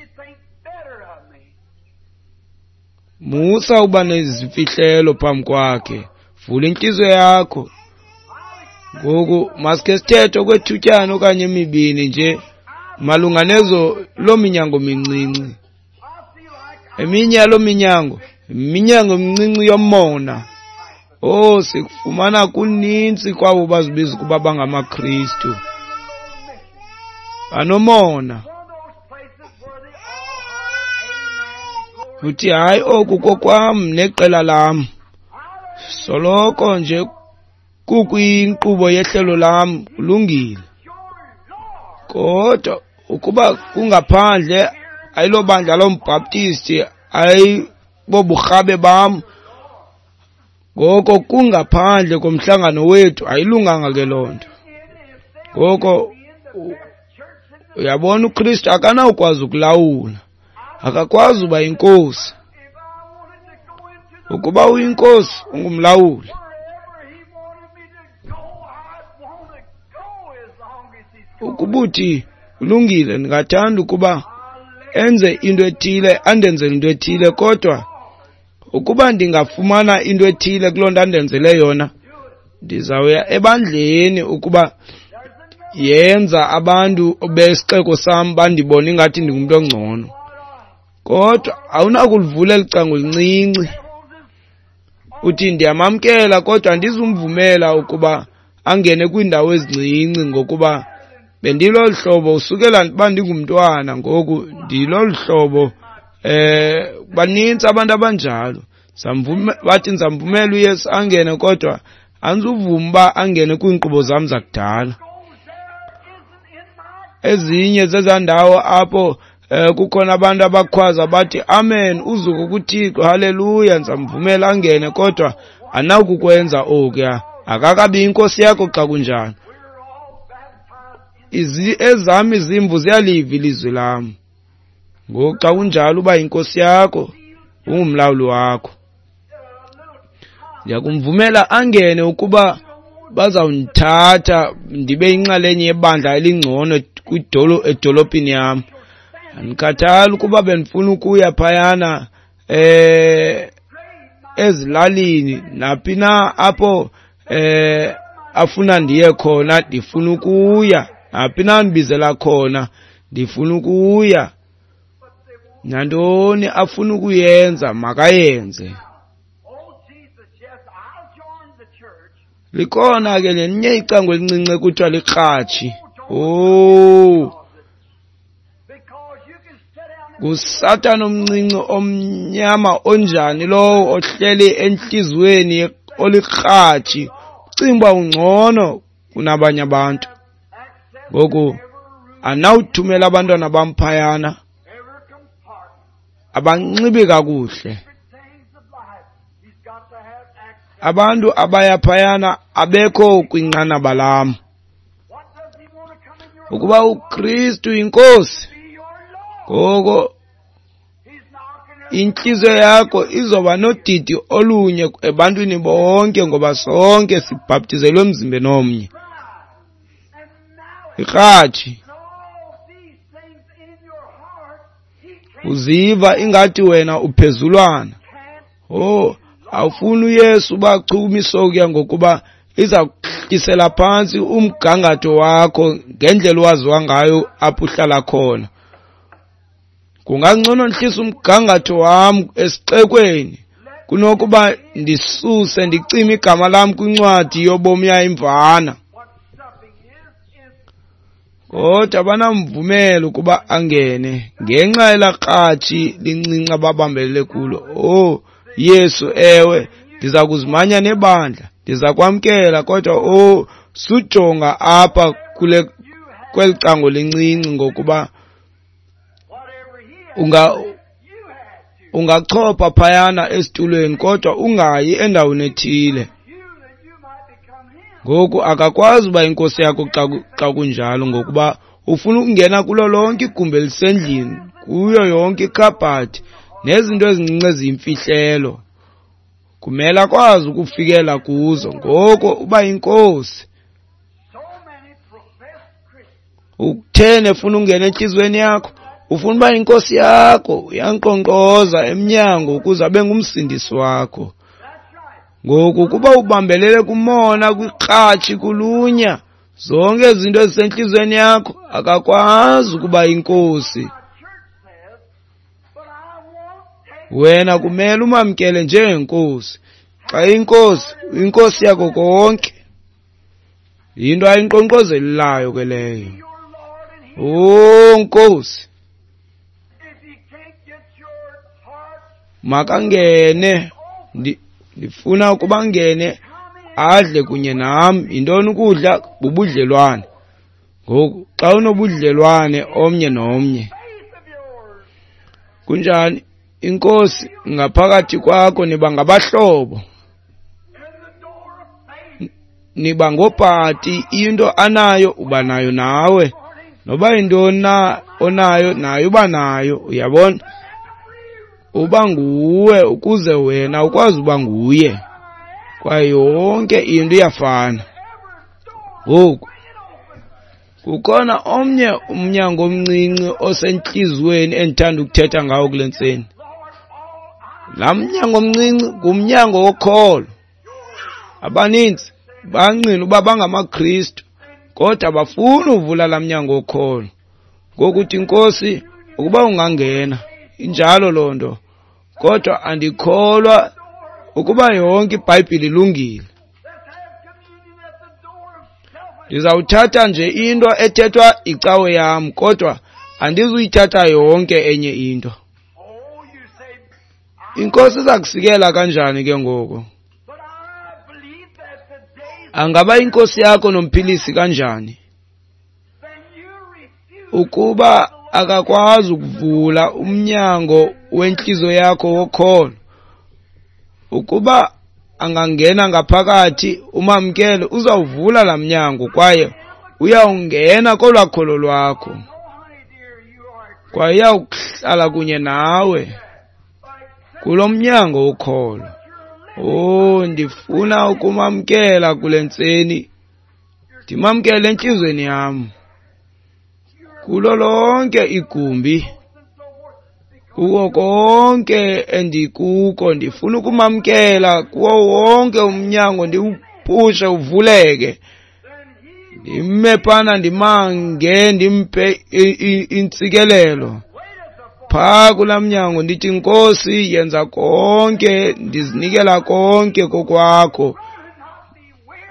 Musa uba nezimfihlelo phambi kwakhe, vula intliziyo yakho. Ngoku masike sithethe okwethutyana okanye emibini nje malunga nezo loo minyango mincinci. Eminye yaloo minyango, iminyango emincinci yomona. Oh, sikufumana kunintsi kwabo bazibiza ukuba bangamaKristu, banomona. Uthi hayi, oku kokwam neqela lam, soloko nje kukwinkqubo yehlelo lam, kulungile. Kodwa ukuba kungaphandle, ayilobandla lombhaptisti, ayiboburhabe bam, ngoko kungaphandle komhlangano wethu, ayilunganga ke loo nto. Ngoko uyabona, uKristu akanawukwazi ukulawula, akakwazi uba yinkosi. Ukuba uyinkosi, ungumlawuli. Ukuba uthi ulungile, ndingathanda ukuba enze into ethile, andenzele into ethile, kodwa ukuba ndingafumana into ethile kuloo nto andenzele yona, ndizawuya ebandleni ukuba yenza abantu besixeko sam bandibone ingathi ndingumntu ongcono. Kodwa awunakulivula eli cango lincinci uthi ndiyamamkela, kodwa andizumvumela ukuba angene kwiindawo ezincinci, ngokuba bendilolu hlobo usukela uba ndingumntwana, ngoku ndilolu hlobo. Banintsi abantu abanjalo. Bathi ndizamvumela uYesu angene, kodwa andizuvuma uba angene kwiinkqubo zam zakudala. Ezinye zezaa ndawo apho kukhona abantu abakhwaza bathi amen, uzuko kuThixo, haleluya, ndizamvumela angene, kodwa anawukukwenza okuya. Akakabi inkosi yakho xa kunjalo. Ezam izimvu ziyaliva ilizwi lam. Ngoku xa kunjalo uba inkosi yakho, ungumlawuli wakho. Ndiyakumvumela angene ukuba bazawundithatha ndibe yinxalenye yebandla elingcono edolophini yam. Andikhathali ukuba bendifuna ukuya phayana ezilalini, naphi na apho afuna ndiye khona, ndifuna ukuya. Naphi na ndibizela khona, ndifuna ukuya. Nantoni afuna ukuyenza, makayenze. Likhona ke nelinye icango elincinci ekuthiwa likratshi. Oh, NguSathana omncinci omnyama onjani lowo ohleli entliziyweni olikratshi, ucinga uba ungcono kunabanye abantu. Ngoku anawuthumela abantwana bam phayana abanxibi kakuhle. Abantu abaya phayana abekho kwinqanaba lam. Ukuba uKristu inkosi, ngoko intliziyo yakho izoba nodidi olunye ebantwini bonke, ngoba sonke sibhaptizelwe emzimbeni omnye. Ikratshi, uziva ingathi wena uphezulwana. Oh, awufuni uYesu ubachukumise okuya, ngokuba iza kuhlisela phantsi umgangatho wakho ngendlela owaziwa ngayo apho uhlala khona. Kungangcono ndihlise umgangatho wam esixekweni kunokuba ndisuse ndicime igama lam kwincwadi yobomi yayimvana. Kodwa banamvumela ukuba angene ngenxa yelaa kratshi lincinci ababambelele kulo. Oh Yesu, ewe, ndiza kuzimanya nebandla, ndiza kwamkela, kodwa oh sujonga apha kule kweli cango lincinci, ngokuba ungachopha phayana esitulweni kodwa ungayi endaweni ethile. Ngoku akakwazi uba inkosi yakho xa kunjalo, ngokuba ufuna ukungena kulo lonke igumbi elisendlini, kuyo yonke ikhabhathi nezinto ezincinci eziyimfihlelo. Kumele akwazi ukufikela kuzo. Ngoko uba inkosi. Ukutheni efuna ungena entliziyweni yakho? Ufuna uba inkosi yakho, uyankqonkqoza emnyango ukuze abe ngumsindisi wakho. Ngoku kuba ubambelele kumona, kwikratshi, kulunya, zonke izinto ezisentliziyweni yakho, akakwazi ukuba inkosi. Wena kumele umamkele njengenkosi. Xa inkosi, inkosi yakho konke. Yinto ayinkqonkqozelelayo ke leyo. Oh Nkosi, makangene, ndifuna ukuba angene adle kunye nam. Yintoni ukudla? Bubudlelwane. Ngoku xa unobudlelwane omnye nomnye, kunjani? Inkosi ngaphakathi kwakho, niba ngabahlobo, niba ngopati. Into anayo uba nayo nawe, noba yintoni na onayo nayo uba nayo. Uyabona, uba nguwe ukuze wena ukwazi uba nguye, kwaye yonke into iyafana. Ngoku kukhona omnye umnyango omncinci osentliziyweni endithanda ukuthetha ngawo kule ntseni. Laa mnyango omncinci ngumnyango wokholo. Abaninzi bangqina uba bangamaKristu, kodwa bafuna uvula laa mnyango wokholo. Ngokuthi Nkosi, ukuba ungangena, injalo loo nto, kodwa andikholwa ukuba yonke iBhayibhile ilungile. Ndizawuthatha nje into ethethwa icawe yam, kodwa andizuyithatha yonke enye into. Inkosi iza kusikela kanjani ke ngoku? Angaba inkosi yakho nomphilisi kanjani ukuba akakwazi ukuvula umnyango wentliziyo yakho wokholo? Ukuba angangena ngaphakathi umamkele, uzawuvula laa mnyango kwaye uyawungena kolwaa kholo lwakho, kwaye uyawuhlala kunye nawe kulo mnyango wokholo. Oh, ndifuna ukumamkela kule ntseni, ndimamkele entliziyweni yam, kulo lonke igumbi, kuko konke endikuko. Ndifuna ukumamkela kuwo wonke umnyango, ndiwuphushe uvuleke, ndime phana ndimange, ndimphe intsikelelo phaa kulaa mnyango, ndithi Nkosi, yenza konke, ndizinikela konke kokwakho.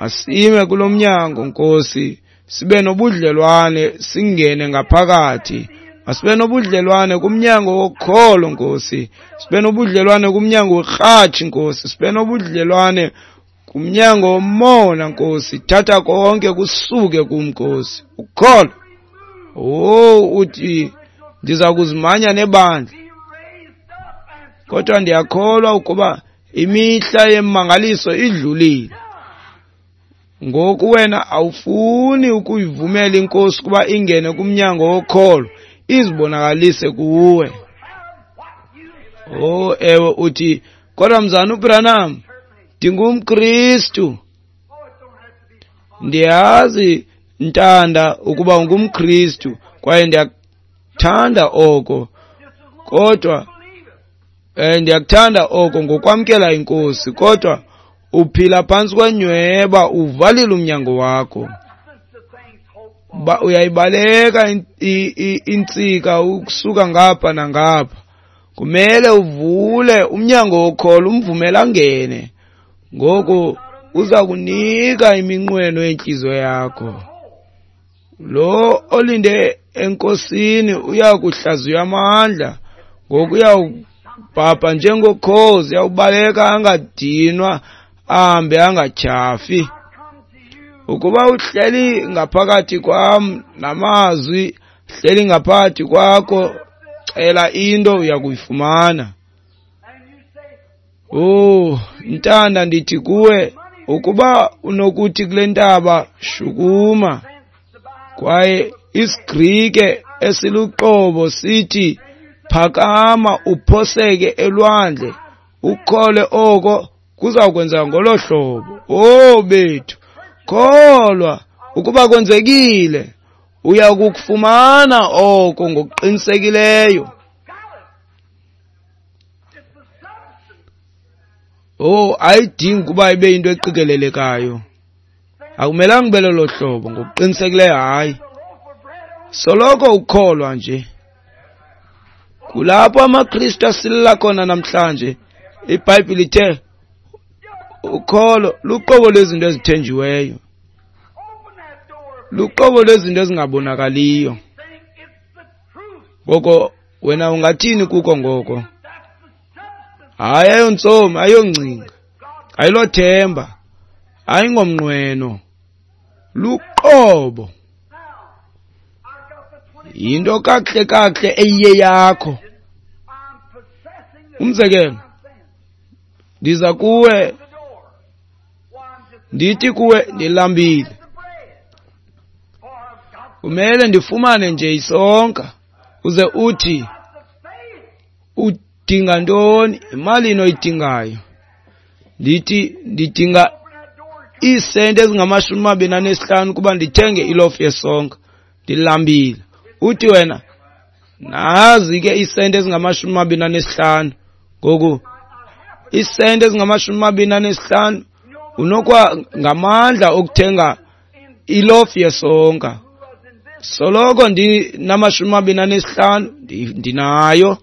Masime kulo mnyango Nkosi, sibe nobudlelwane, singene ngaphakathi. Masibe nobudlelwane kumnyango wokholo, Nkosi. Sibe nobudlelwane kumnyango werhatshi, Nkosi. Sibe nobudlelwane kumnyango womona, Nkosi. Thatha konke kusuke kum, Nkosi. Ukholo. Oh, uthi ndiza kuzimanya nebandla, kodwa ndiyakholwa ukuba imihla yemmangaliso idlulile. Ngoku wena awufuni ukuyivumela iNkosi ukuba ingene kumnyango wokholo, izibonakalise kuwe. Oh, ewe, uthi kodwa mzana uBranham, ndingumKristu. Ndiyazi ntanda ukuba ungumKristu kwaye ndiyakuthanda oko, kodwa ndiyakuthanda oko ngokwamkela iNkosi, kodwa uphila phantsi kwenyweba, uvalile umnyango wakho. Uyayibaleka intsika ukusuka ngapha nangapha. Kumele uvule umnyango wokholo, umvumele angene. Ngoku uza kunika iminqweno yentliziyo yakho. Lo olinde eNkosini uya kuhlaziywa amandla. Ngoku uyawubhabha njengokhozi, uyawubaleka angadinwa, ahambe angatyhafi. Ukuba uhleli ngaphakathi kwam namazwi hleli ngaphakathi kwakho, cela into uya kuyifumana. Oh, ntanda, ndithi kuwe, ukuba unokuthi kule ntaba shukuma, kwaye isiGrike esiluqobo sithi phakama uphoseke elwandle, ukhole oko kuza kwenzeka ngolo hlobo. Oh bethu, kholwa ukuba kwenzekile, uya kukufumana oko ngokuqinisekileyo. Oh, ayidingi ukuba ibe yinto eqikelelekayo. Akumelanga ube lolo hlobo ngokuqinisekileyo, hayi. Soloko ukholwa nje. Kulapho amaKristu asilela khona namhlanje. IBhayibhile ithe ukholo luqobo lwezinto ezithenjiweyo, luqobo lwezinto ezingabonakaliyo. Ngoko wena ungathini kuko ngoko? Hayi, ayontsomi, ayongcinga, ayilothemba, ayingomnqweno, luqobo. Yinto kakuhle kakuhle eyiye yakho. Umzekelo, ndiza kuwe, ndithi kuwe ndilambile, kumele ndifumane nje isonka. Uze uthi udinga ntoni? Imalini oyidingayo? Ndithi ndidinga iisenti ezingama-25 kuba ndithenge ilofu yesonka, ndilambile. Uthi wena nazi ke iisenti ezingama-25. Ngoku iisenti ezingama-25 unokwa ngamandla okuthenga ilofu yesonka. Soloko ndinama-25 ndinayo.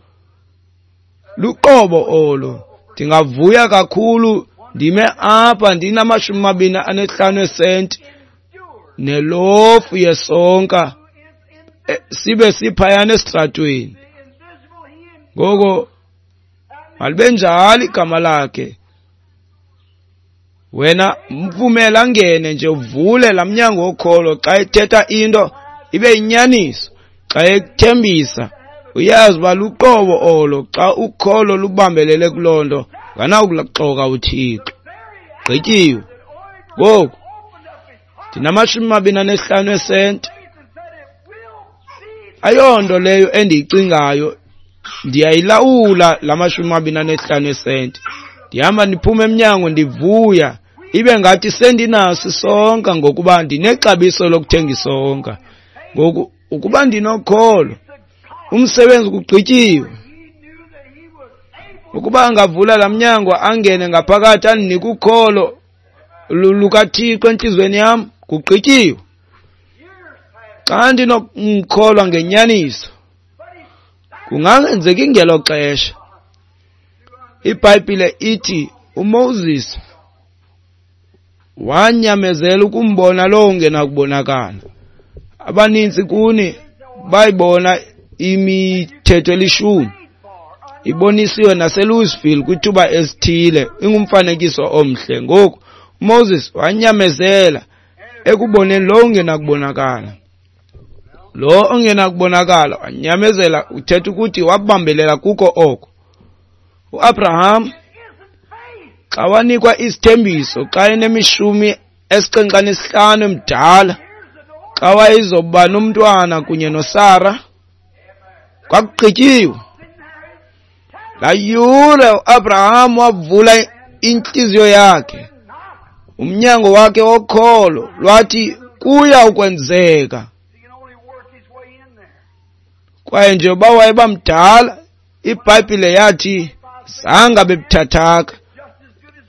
Luqobo olo. Ndingavuya kakhulu ndime apha ndinama-25 esenti nelofu yesonka, sibe siphayana esitratweni. Ngoko malibe njalo igama lakhe. Wena mvumele angene nje, uvule laa mnyango wokholo. Xa ethetha into ibe yinyaniso, xa ekuthembisa uyazi uba luqobo olo. Xa ukholo lubambelele kuloo nto, nganawukuxoka uThixo. Gqityiwe. Ngoku ndinama-25 esenti. Ayonto leyo endiyicingayo, ndiyayilawula la 25 esenti. Ndihamba ndiphuma emnyango ndivuya, ibe ngathi sendinaso isonka ngokuba ndinexabiso lokuthenga isonka. Ngoku ukuba ndinokholo, umsebenzi kugqityiwe. Ukuba angavula laa mnyango angene ngaphakathi andinike ukholo lukaThixo entliziyweni yam, kugqityiwe. Xa ndinomkholwa ngenyaniso, kungangenzeki ngelo xesha. IBhayibhile ithi uMoses wanyamezela ukumbona lowo ungenakubonakala. Abaninzi kuni bayibona imithetho elishumi. Ibonisiwe naseLouisville kwithuba esithile, ingumfanekiso omhle. Ngoku uMoses wanyamezela ekuboneni lo ungenakubonakala. Lo ongenakubonakala wanyamezela, uthetha ukuthi wabambelela kuko oko. UAbraham xa wanikwa isithembiso xa enemishumi 75 emdala, xa wayezoba nomntwana kunye noSara, kwakugqityiwe. Laa yure uAbraham wavula intliziyo yakhe, umnyango wakhe wokholo lwathi kuya ukwenzeka. Kwaye njengoba wayebamdala, iBhayibhile yathi zange bebuthathaka,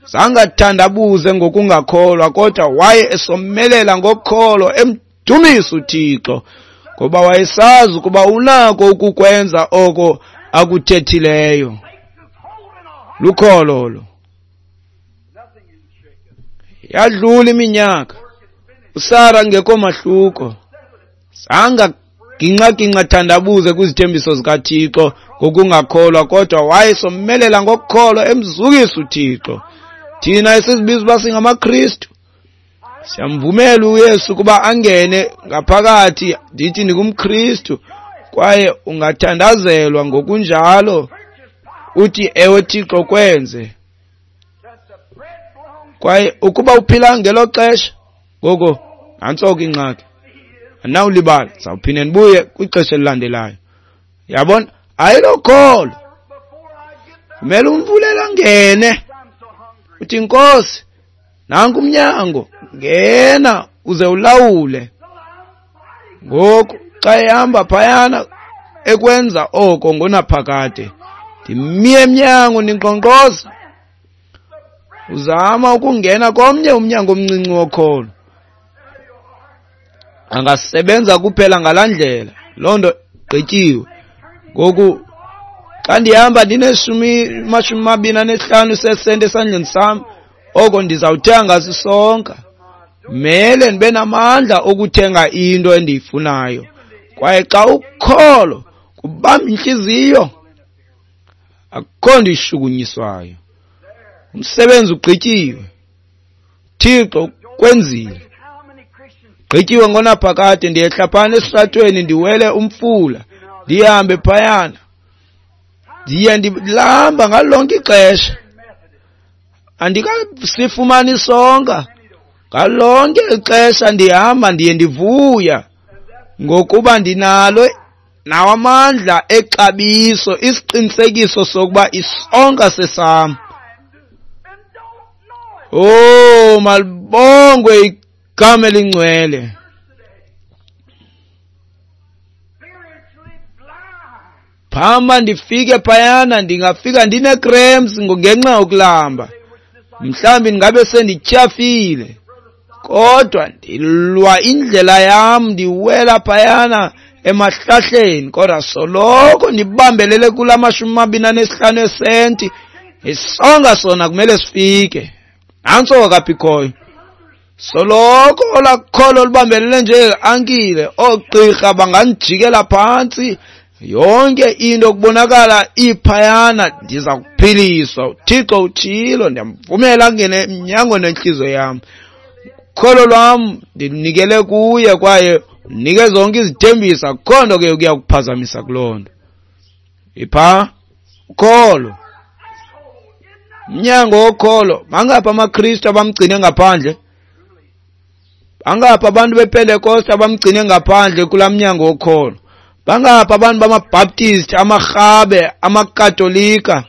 zange athandabuze ngokungakholwa, kodwa waye esomelela ngokholo, emdumisa uThixo, ngoba wayesazi ukuba unako ukukwenza oko akuthethileyo. Lukholo lo. Yadlula iminyaka, uSara ngekho mahluko, zange ginqa thandabuze kwizithembiso zikaThixo ngokungakholwa, kodwa wayesomelela ngokholo, emzukisa uThixo. Thina esizibiza uba singamaKristu siyamvumela uYesu ukuba angene ngaphakathi. Ndithi ndingumKristu, kwaye ungathandazelwa ngokunjalo, uthi ewe Thixo kwenze. Kwaye ukuba uphila ngelo xesha, ngoko nantso ke ingxaki, andinawulibala, ndizawuphinda ndibuye kwixesha elilandelayo. Yabona, ayilokholo. Kumele umvulele angene, uthi Nkosi, nanku umnyango, ngena uze ulawule. Ngoku xa ehamba phayana ekwenza oko ngonaphakade, ndimiye emnyango ndinkqonkqoza, uzama ukungena komnye umnyango omncinci wokholo. Angasebenza kuphela ngalaa ndlela, loo nto gqityiwe. Ngoku xa ndihamba ndine-25 sesenti esandleni sam, oko ndizawuthenga sisonka. Mele ndibe namandla okuthenga into endiyifunayo. Kwaye xa ukholo kubamba intliziyo, akukho nto ishukunyiswayo. Umsebenzi ugqityiwe, Thixo kwenzile, gqityiwe ngonaphakade. Ndiyehla phana esitratweni, ndiwele umfula, ndihambe phayana, ndiye ndilamba ngalo lonke ixesha, andikasifumani isonka. Ngalo lonke ixesha ndihamba, ndiye ndivuya ngokuba ndinalo nawo amandla exabiso, isiqinisekiso sokuba isonka sesam. Oh, malibongwe igama elingcwele. Phama ndifike phayana, ndingafika ndine-cramps ngenxa yokulamba, mhlawumbi ndingabe sendityhafile, kodwa ndilwa indlela yam, ndiwela phayana emahlahleni, kodwa soloko ndibambelele kula 25 esenti. Isonka sona kumele sifike. Nantso kaphi khoyo. Soloko olakholo lubambelele nje ankile, oogqirha banganijikela phantsi, yonke into kubonakala iphayana, ndiza kuphiliswa. uThixo utshilo, ndiyamvumela angene emnyangweni wentliziyo yam. Ukholo lwam ndinikele kuye, kwaye unike zonke izithembiso. Akukho nto ke ukuya kuphazamisa kuloo nto. Ipha ukholo, umnyango wokholo. Bangaphi amaKristu abamgcine ngaphandle? Bangaphi abantu bePentekoste abamgcine ngaphandle kulaa mnyango wokholo? Bangaphi abantu bamaBaptist, amaRhabe, amaKatolika,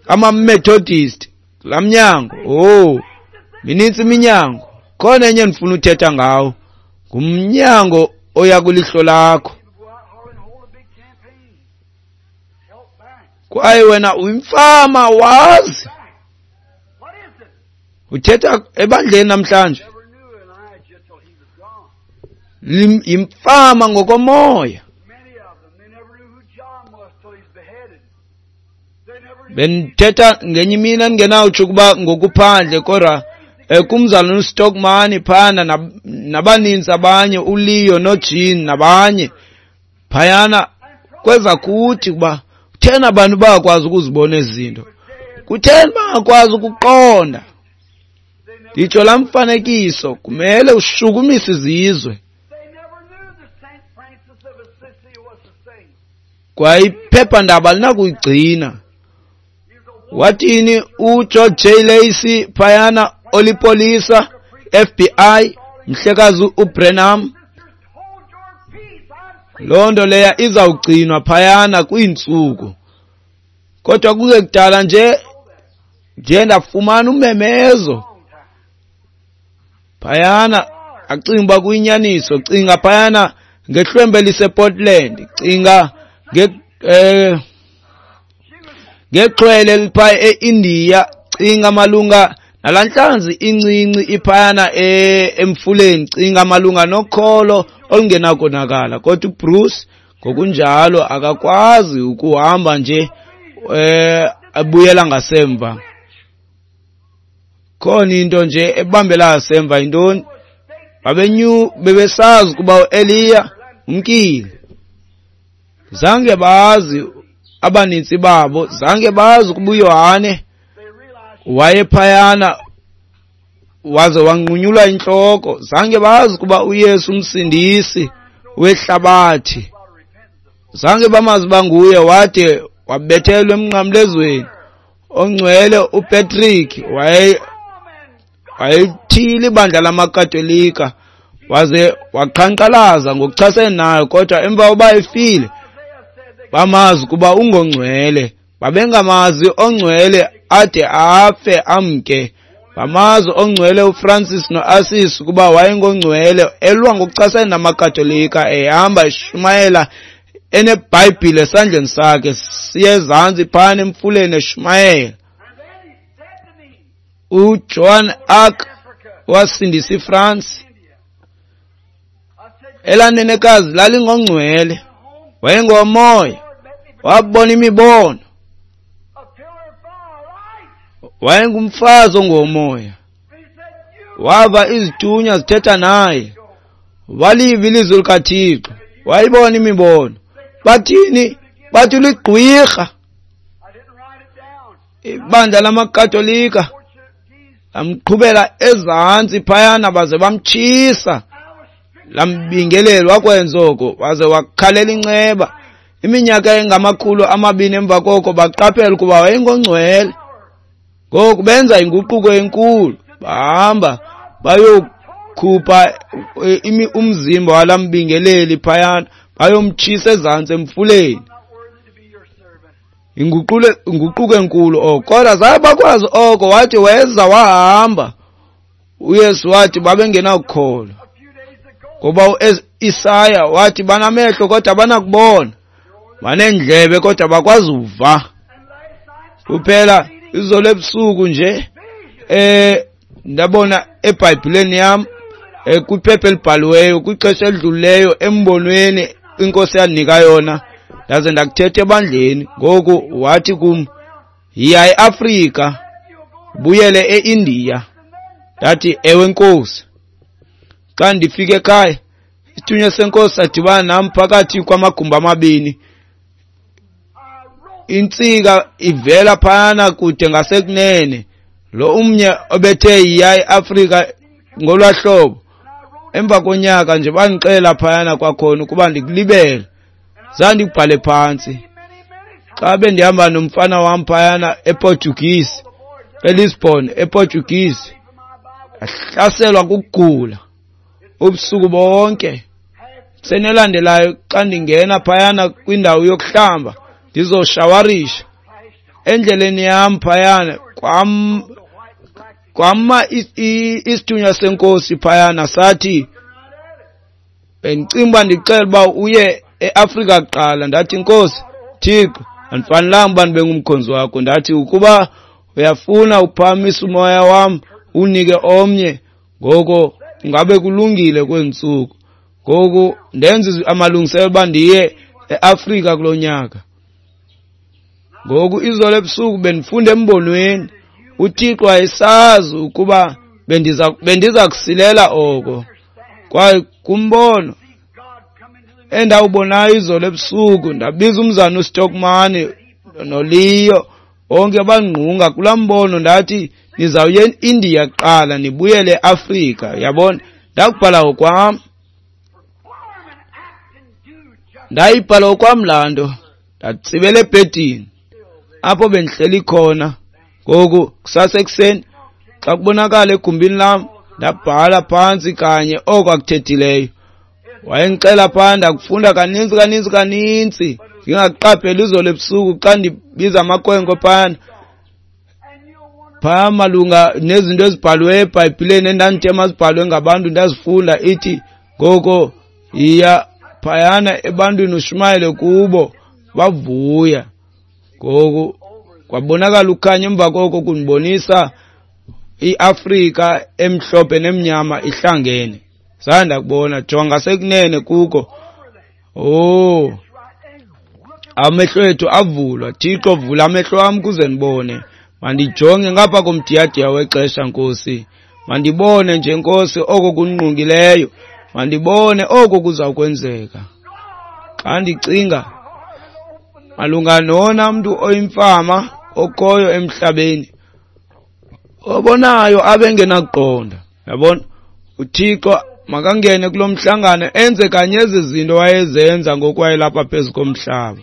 amaMethodist kulaa mnyango? Oh, minintsi iminyango. Khona enye endifuna uthetha ngawo, ngumnyango oya kwilihlo lakho. Kwaye wena uyimfama, wazi. Uthetha ebandleni namhlanje, yimfama ngokomoya. Bendithetha ngenye imini andingenawutsho ukuba ngokuphandle, kodwa kumzalwane uStockman phayana nabaninzi abanye, uLeo noJean nabanye phayana, kweza kuthi kuba kutheni abantu bangakwazi ukuzibona ezi zinto, kutheni bangakwazi ukuqonda. Nditsho laa mfanekiso kumele ushukumise izizwe. Kwaye iphephandaba linakuyigcina. Wathini uGeorge J. Lacey phayana olipolisa FBI, mhlekazi uBrenham? Loo nto leya izawugcinwa phayana kwiintsuku. Kodwa kungekudala nje ndiye ndafumana umemezo phayana, acinga uba kuyinyaniso. Cinga phayana ngehlwembe elisePortland, cinga ngexhwele eliphaya eIndiya, cinga malunga nalaa ntlanzi incinci iphayana emfuleni, cinga malunga nokholo olungenakonakala. Kodwa uBruce ngokunjalo akakwazi ukuhamba nje abuyela ngasemva. Khona into nje ebambela ngasemva. Yintoni? Bebesazi ukuba uEliya umkile. Zange bazi abanintsi babo, zange bazi ukuba uYohane wayephayana waze wanqunyulwa intloko. Zange bazi ukuba uYesu umsindisi wehlabathi, zange bamazi banguye, wade wabethelwa emnqamlezweni. Ongcwele uPatrick wayethile ibandla lamaKatolika waze waqhankqalaza ngokuchasene nayo, kodwa emva koba efile bamazi ukuba ungongcwele. Babengamazi ongcwele ade afe amke. Bamazi ongcwele uFrancis noAssis ukuba wayengongcwele, elwa ngokuchasene namaKatolika, ehamba eshumayela eneBhayibhile esandleni sakhe, siye ezantsi phana emfuleni eshumayela. uJoan Arc wasindisa iFrance. Elanenekazi lalingongcwele, wayengomoya, wabona imibono, wayengumfazi ongomoya, wava izithunywa zithetha naye, waliva ilizwi likaThixo, wayibona imibono. Bathini? Bathi ligqwirha. Ibandla lamaKatolika lamqhubela ezantsi phayana baze bamtshisa, lambingelela. Wakwenza oko waze wakhalela inceba. Iminyaka engama-200 emva koko baqaphela ukuba wayengongcwele. Ngoku benza inguquko enkulu, bahamba bayokhupha umzimba walambingeleli phayana, bayomtshisa ezantsi emfuleni. Inguquko enkulu oko. Kodwa zaye bakwazi oko. Wathi weza wahamba. uYesu wathi babengenakukholwa, ngoba uIsaya wathi banamehlo kodwa banakubona, baneendlebe kodwa bakwazi uva. Kuphela izolo ebusuku nje ndabona eBhayibhileni yam kwiphepha elibhaliweyo kwixesha elidlulileyo embonweni inkosi yandinika yona, ndaze ndakuthetha ebandleni. Ngoku wathi kum, yiya eAfrika, buyele eIndiya. Ndathi ewe nkosi. Xa ndifika ekhaya, isithunywa senkosi sadibana nam phakathi kwamagumbi amabini. Intsika ivela phayana kude ngasekunene, lo umnye obethe yiya eAfrika ngolwaa hlobo. Emva konyaka nje bandixelela phayana kwakhona ukuba ndikulibele, zandikubhale phantsi. Xa bendihamba nomfana wam phayana ePortuguese, eLisbon ePortuguese, ahlaselwa kukugula ubusuku bonke. Senelandelayo xa ndingena phayana kwindawo yokuhlamba ndizoshawarisha, endleleni yam phayana kwama isithunywa senkosi phayana, sathi bendicinga uba ndicela uba uye eAfrika kuqala. Ndathi nkosi Thixo, andifanelanga uba ndibe ngumkhonzi wakho. Ndathi ukuba uyafuna uphakamisa umoya wam unike omnye, ngoko ngabe kulungile kweentsuku. Ngoku ndenza amalungiselelo uba ndiye eAfrika kulo nyaka. Ngoku izolo ebusuku bendifunda embonweni, uThixo wayesazi ukuba bendiza kusilela oko. Kwaye kumbono endawubonayo izolo ebusuku, ndabiza umzana uStockman noLeo, bonke bangqunga kulaa mbono. Ndathi nizawuya eIndiya kuqala nibuyele eAfrika. Yabona, ndakubhala ngokwam, ndayibhala ngokwam laa nto, ndatsibela ebhedini apho bendihleli khona. Ngoku kusasa ekuseni xa kubonakala egumbini lam, ndabhala phantsi kanye oko akuthethileyo. Wayendixela phaa, ndakufunda kaninzi kaninzi kaninzi, ndingakuqapheli izolo ebusuku xa ndibiza amakhwenkwe phana phaa malunga nezinto ezibhaliweyo eBhayibhileni endandithe mazibhalwe ngabantu, ndazifunda. Ithi ngoko yiya phayana ebantwini ushumayele kubo, bavuya. Ngoku kwabonakala ukhanya emva koko kundibonisa iAfrika emhlophe nemnyama ihlangene. Zange ndakubona, jonga sekunene kuko. Oh, amehlo ethu avulwa. Thixo, vula amehlo am kuze ndibone. Mandijonge ngapha komdiyadiya wexesha, Nkosi. Mandibone nje, Nkosi, oko kundingqongileyo. Mandibone oko kuza kwenzeka. Xa ndicinga malunga nona mntu oyimfama okhoyo emhlabeni, obonayo abe engenakuqonda. Yabona, uThixo makangene kulo mhlangano enze kanye ezi zinto wayezenza ngoku wayelapha phezu komhlaba.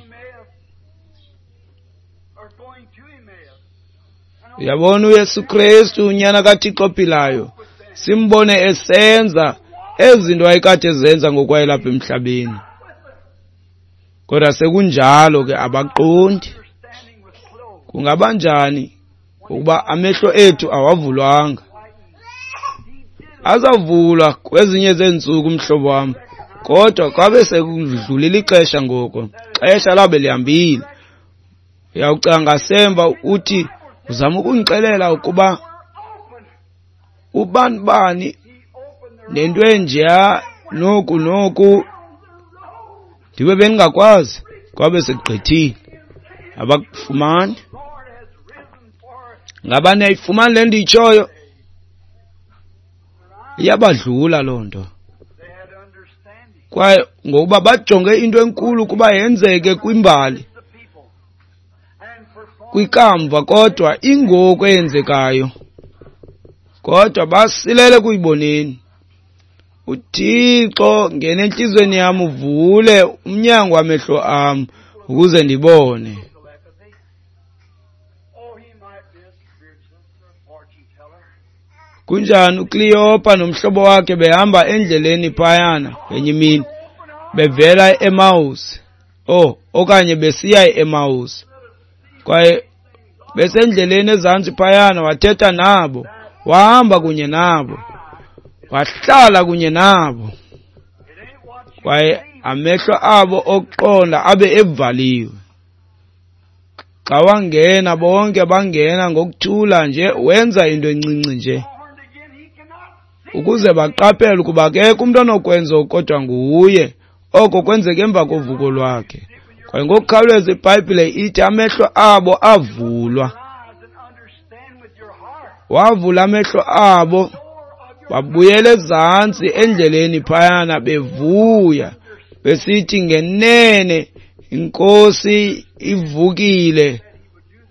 Uyabona, uYesu Kristu unyana kaThixo ophilayo, simbone esenza ezi zinto wayekade ezenza ngoku wayelapha emhlabeni. Kodwa sekunjalo ke abaqondi. Kungaba njani ukuba amehlo ethu awavulwanga? Azavulwa kwezinye zeentsuku, mhlobo wam, kodwa kwabe sekudlulile ixesha ngoko. Xesha labe lihambile. Uyawucinga ngasemva uthi uzama ukundixelela ukuba ubani bani nento enjeya noku noku, ndibe bendingakwazi. Kwabe sekugqithile, abakufumani. Ngaba niyayifumani le ndiyitshoyo? Iyabadlula loo nto. Kwaye ngokuba bajonge into enkulu kuba yenzeke kwimbali, kwikamva, kodwa ingoku eyenzekayo, kodwa basilele kuyiboneni. uThixo, ngena entliziyweni yam, uvule umnyango wamehlo am ukuze ndibone. Kunjani uKleopa nomhlobo wakhe behamba endleleni phayana ngenye imini, bevela e-Emmaus, okanye besiya e-Emmaus, kwaye besendleleni ezantsi phayana, wathetha nabo, wahamba kunye nabo, wahlala kunye nabo, kwaye amehlo abo okuqonda abe evaliwe. Xa wangena, bonke bangena ngokuthula nje, wenza into encinci nje ukuze baqaphele ukuba akekho umntu onokwenza kodwa nguye. Oko kwenzeka emva kovuko lwakhe. Kwaye ngokukhawuleza iBhayibhile ithi amehlo abo avulwa. Wavula amehlo abo, babuyela ezantsi endleleni phayana bevuya, besithi ngenene iNkosi ivukile,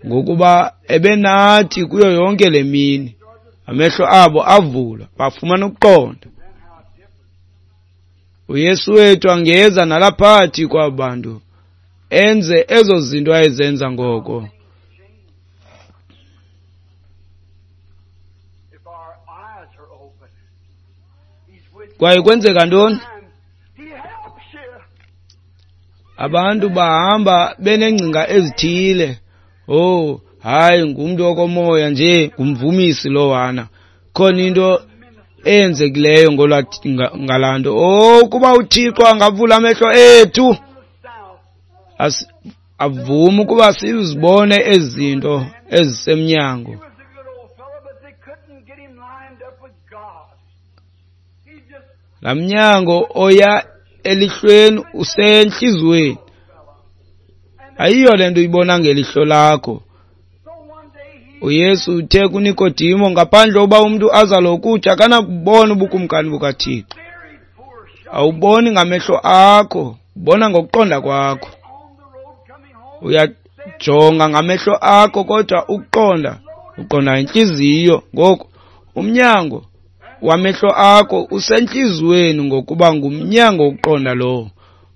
ngokuba ebenathi kuyo yonke le mini. Amehlo abo avulwa, bafumana ukuqonda. uYesu wethu angeza nalaphathi kwabo bantu, enze ezo zinto ayezenza ngoko. Kwaye kwenzeka ntoni? Abantu bahamba benengcinga ezithile. Oh, hayi, ngumntu okomoya nje, ngumvumisi lowana. Khona into eyenzekileyo ngalaa nto. Oh, kuba uThixo angavula amehlo ethu, avume ukuba sizibone ezi zinto ezisemnyango. Laa mnyango oya elihlweni usentliziyweni. Ayiyo le nto uyibona ngelihlo lakho. uYesu uthe kuNikodimo, ngaphandle uba umntu azalwe ukutsha akanakubona ubukumkani bukaThixo. Awuboni ngamehlo akho, Ubona ngokuqonda kwakho. Uyajonga ngamehlo akho, kodwa ukuqonda uqonda intliziyo. Ngoku umnyango wamehlo akho usentliziyweni, ngokuba ngumnyango wokuqonda lowo.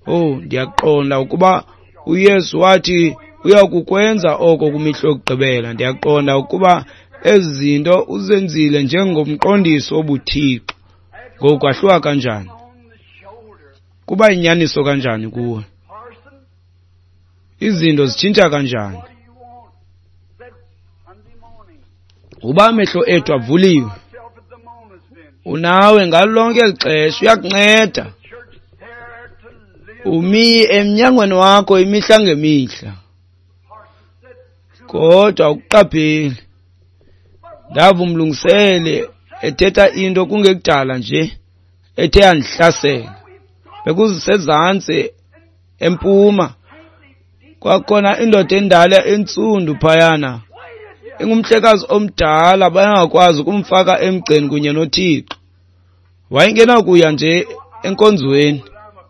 Oh, ndiyaqonda ukuba uYesu wathi uyakukwenza oko kwimihla yokugqibela. Ndiyaqonda ukuba ezi zinto uzenzile njengomqondiso wobuThixo. Ngoku kwahluka kanjani? Kuba yinyaniso kanjani kuwe? Izinto zitshintsha kanjani? Uba amehlo ethu avuliwe, unawe ngalo lonke eli xesha, uyakunceda. Umi emnyangweni wakho imihla ngemihla, kodwa ukuqapheli. Ndava umlungiseli ethetha into kungekudala nje ethe yandihlasela. Bekusezantsi empuma, kwakhona indoda endala entsundu phayana, ingumhlekazi omdala, bayangakwazi ukumfaka emgceni kunye noThixo. Wayengenakuya nje enkonzweni,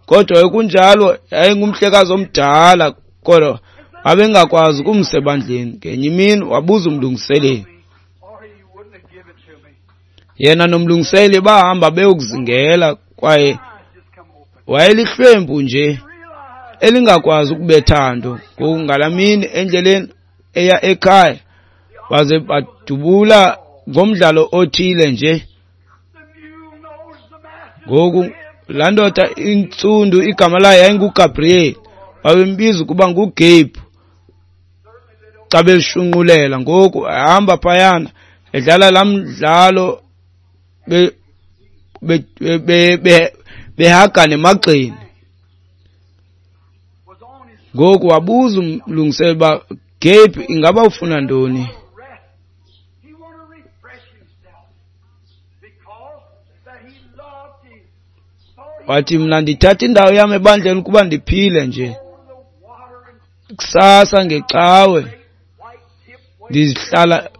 kodwa kunjalo yayingumhlekazi omdala, kodwa babengakwazi ukumsa ebandleni. Ngenye imini wabuza umlungiseleli, yena nomlungiseleli bahamba beyokuzingela, kwaye wayelihlwempu nje elingakwazi ukubetha nto. Ngoku ngalaa mini endleleni eya ekhaya, baze badubula ngomdlalo othile nje. Ngoku laa ndoda intsundu igama layo yayinguGabriel, babembiza ukuba nguGabe xa beshunqulela. Ngoku ehamba phayana edlala laa mdlalo behagana emagxeni. Ngoku wabuza umlungiseleli uba, Gabe, ingaba ufuna ntoni? Wathi, mna ndithatha indawo yam ebandleni ukuba ndiphile nje. Kusasa ngecawe ndihlala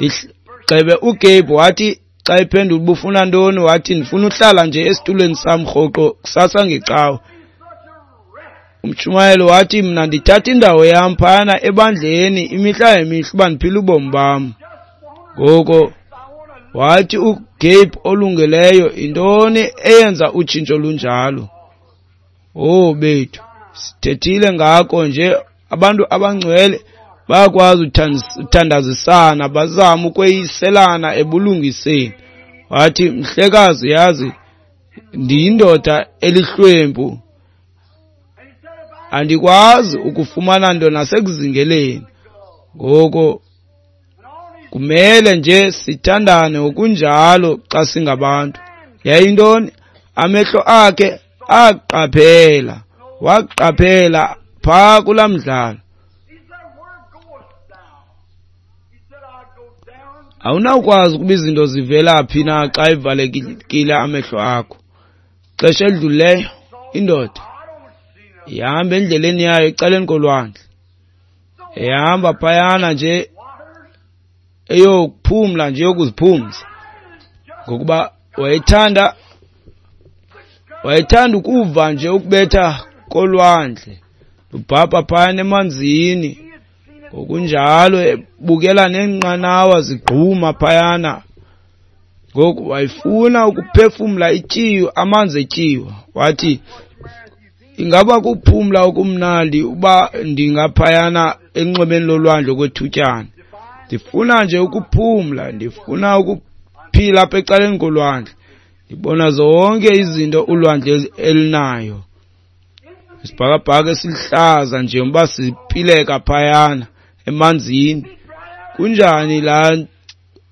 gxebe. uGabe wathi xa ephendula uba ufuna ntoni, wathi ndifuna uhlala nje esitulweni sam rhoqo kusasa ngecawe. Umtshumayeli wathi, mna ndithatha indawo yam phayana ebandleni imihla ngemihla uba ndiphile ubomi bam. Ngoko wathi uGabe olungileyo, yintoni eyenza utshintsho lunjalo? Oh bethu, sithethile ngako nje. Abantu abangcwele bayakwazi uthandazisana, bazame ukweyiselana ebulungiseni. Wathi, mhlekazi, yazi ndiyindoda elihlwempu, andikwazi ukufumana nto nasekuzingeleni. Ngoko kumele nje sithandane ngokunjalo xa singabantu. Yayintoni? Amehlo akhe aqaphela, waqaphela phaa kulaa mdlalo. Awunawukwazi ukuba izinto zivela phi na xa evalekile amehlo akho. Xesha elidlulileyo indoda ihamba endleleni yayo ecaleni kolwandle, ihamba phayana nje eyokuphumla nje, yokuziphumza, ngokuba wayethanda ukuva nje ukubetha kolwandle lubhabha phayana emanzini, ngokunjalo ebukela neenqanawa zigquma phayana. Ngoku wayefuna ukuphefumla ityiwa, amanzi etyiwa. Wathi, ingaba kuphumla okumnandi uba ndingaphayana enxwemeni lolwandle kwethutyana. Ndifuna nje ukuphumla, ndifuna ukuphila apha ecaleni kolwandle, ndibona zonke izinto ulwandle elinayo. Isibhakabhaka esiluhlaza njengoba sipileka phayana emanzini. Kunjani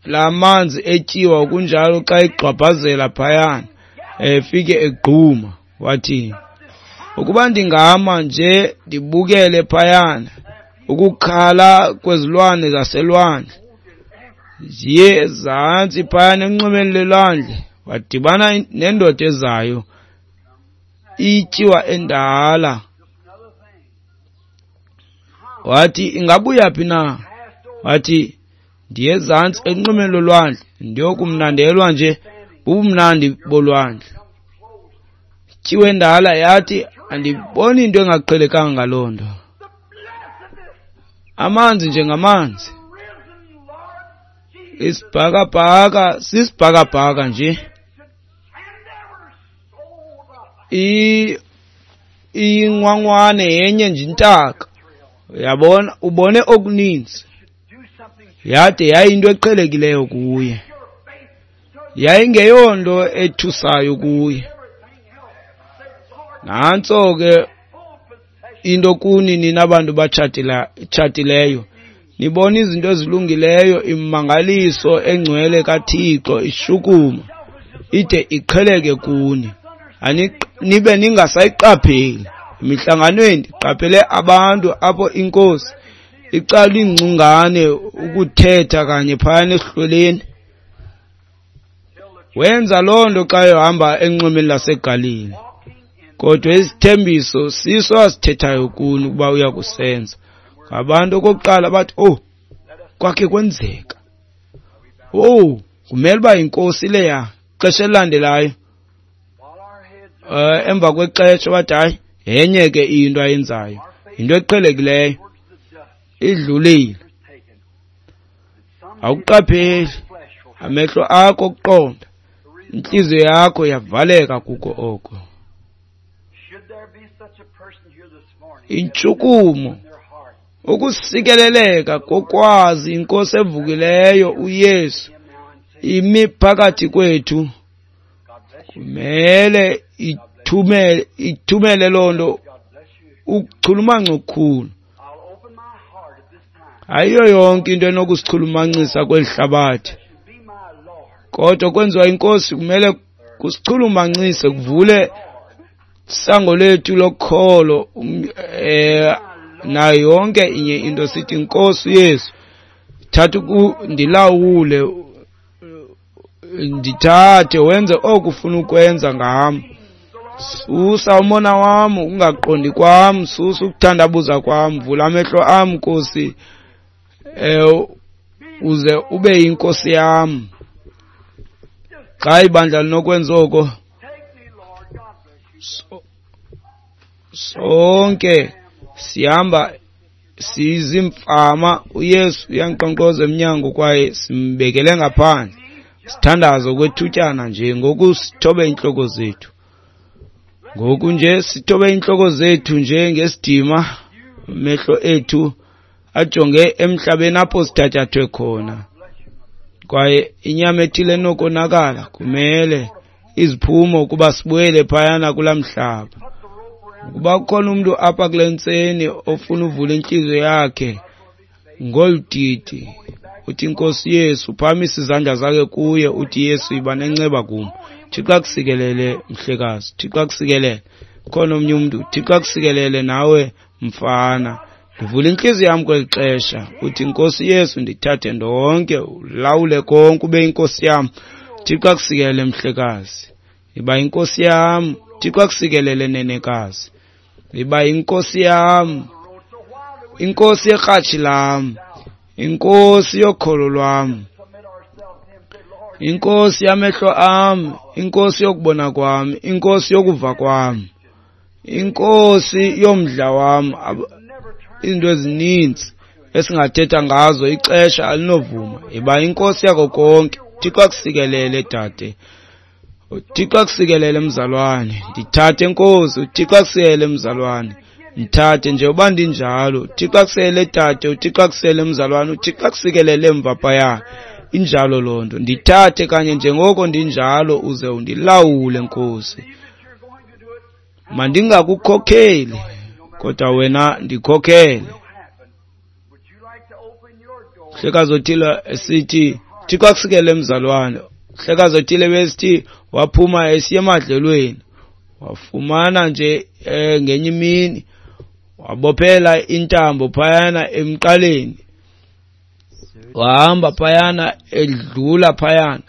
la manzi etyiwa kunjalo xa egxwabhazela phayana, efike egquma. Wathi, ukuba ndingama nje ndibukele phayana ukukhala kwezilwane zaselwandle, ziye ezantsi phayana enxwemeni lelwandle. Wadibana nendoda ezayo ityiwa endala. Wathi, ingabuya phi na? Wathi, ndiye ezantsi enxwemeni lolwandle ndiyokumnandelwa nje bubumnandi bolwandle. Ityiwa endala yathi, Andiboni into engaqhelekanga ngaloo nto. Amanzi njengamanzi. Isibhakabhaka sisibhakabhaka nje. Ingwangwane yenye nje intaka. Uyabona, ubone okuninzi. Yade yayinto eqhelekileyo kuye. Yayingeyonto ethusayo kuye. Nantso ke into kuni nina bantu batshatileyo. Nibona izinto ezilungileyo, imimangaliso engcwele kaThixo ishukuma ide iqheleke kuni. Nibe ningasayiqapheli. Emihlanganweni ndiqaphele abantu apho inkosi icala ingcungane ukuthetha kanye phayana esihlweleni. Wenza loo nto xa ehamba enxwemeni laseGalili. Kodwa isithembiso siso asithethayo kuni ukuba uya kusenza. Ngabantu okokuqala bathi, oh, kwakhe kwenzeka. Oh, kumele uba yinkosi leya. Ixesha elilandelayo, emva kwexesha bathi, hayi, yenye ke into ayenzayo. Yinto eqhelekileyo. Idlulile. Awuqapheli. Amehlo akho okuqonda, intliziyo yakho yavaleka kuko oko. Intshukumo, ukusikeleleka kokwazi inkosi evukileyo uYesu imi phakathi kwethu, kumele ithumele loo nto ukuchulumanca okukhulu. Ayiyo yonke into enokusichulumancisa kweli hlabathi, kodwa kwenziwa inkosi kumele kusichulumancise, kuvule isango lethu lokholo, nayo yonke inye into. Sithi, Nkosi Yesu, thatha ndilawule, ndithathe wenze oku ufuna ukwenza ngam. Susa umona wam, ukungaqondi kwam, susa ukuthandabuza kwam, vula amehlo am, Nkosi, uze ube yinkosi yam. Xa ibandla linokwenza oko, sonke sihamba sizimfama. uYesu uyankqonkqoza emnyango kwaye simbekele ngaphandle. Sithandaze okwethutyana nje. Ngoku sithobe iintloko zethu. Ngoku nje sithobe iintloko zethu nje ngesidima, amehlo ethu ajonge emhlabeni apho sithatyathwe khona. Kwaye inyama ethile enokonakala kumele iziphumo ukuba sibuyele phayana kulaa mhlaba. Ukuba kukhona umntu apha kule ntseni ofuna uvula intliziyo yakhe ngolu didi, uthi Nkosi Yesu, phakamisa izandla zakhe kuye, uthi Yesu, yiba nenceba kum. Thixo akusikelele, mhlekazi. Thixo akusikelele. Khona omnye umntu, Thixo akusikelele nawe mfana. Ndivula intliziyo yam kweli xesha, uthi Nkosi Yesu, ndithathe ndonke, ulawule konke, ube inkosi yam. Thixo akusikelele, mhlekazi. Yiba inkosi yam. Thixo akusikelele, nenekazi. Yiba inkosi yam, inkosi yekratshi lam, inkosi yokholo lwam, inkosi yamehlo am, inkosi yokubona kwam, inkosi yokuva kwam, inkosi yomdla wam. Izinto ezininzi esingathetha ngazo, ixesha alinovuma. Yiba inkosi yako konke. Thixo akusikelele, dade. Thixo akusikelele, mzalwane. Ndithathe, Nkosi. Thixo akusikelele, mzalwane. Ndithathe nje uba ndinjalo. Thixo akusikelele, dade. Uthixo akusikelele, mzalwane. Uthixo akusikelele emva phaya. Injalo loo nto. Ndithathe kanye njengoko ndinjalo, uze undilawule, Nkosi. Mandingakukhokheli, kodwa wena ndikhokhele. Mhlekazi othile esithi, Thixo akusikelele, mzalwane. Mhlekazi othile besithi waphuma esiya emadlelweni, wafumana nje ngenye imini wabophela intambo phayana emqaleni, wahamba phayana edlula phayana.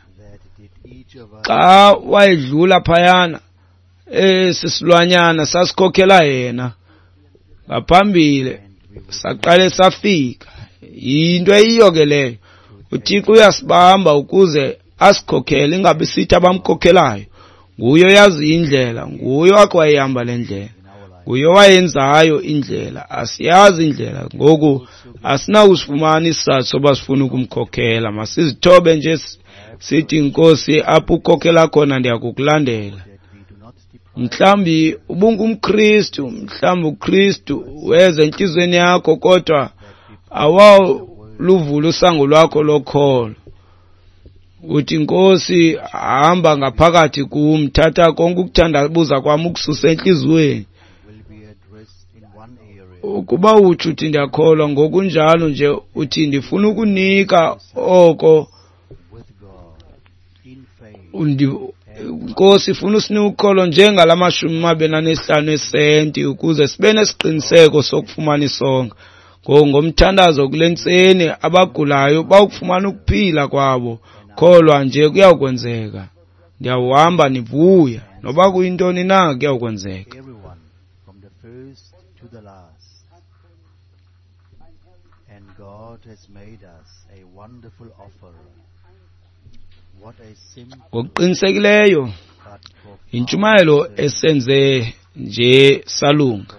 Xa wayedlula phayana, esi silwanyana sasikhokhela yena ngaphambili, saqale safika. Yinto eyiyo ke leyo. uThixo uyasibamba ukuze asikhokhele, ingabi sithi abamkhokhelayo. Nguye oyazi indlela, nguye wakhe wayihamba le ndlela. Nguye owayenzayo indlela, asiyazi indlela. Ngoku asinakusifumana isizathu soba sifuna ukumkhokhela. Masizithobe nje sithi, Nkosi, apho ukhokhela khona ndiyakukulandela. Mhlawumbi ubungumKristu, mhlawumbi uKristu weza entliziyweni yakho, kodwa awaluvula usango lwakho lokholo. Uthi, Nkosi, hamba ngaphakathi kum, thatha konke ukuthandabuza kwam ukususe entliziyweni. Ukuba utsho uthi ndiyakholwa, ngokunjalo nje uthi ndifuna ukunika oko. Nkosi, ifuna usinike ukholo njengala 25 esenti ukuze sibe nesiqiniseko sokufumana isonka. Ngomthandazo kule ntseni, abagulayo bawukufumana ukuphila kwabo. Kholwa nje kuyawukwenzeka. Ndiyawuhamba nivuya, noba kuyintoni na kuyawukwenzeka. Ngokuqinisekileyo yintshumayelo esenze nje salunga.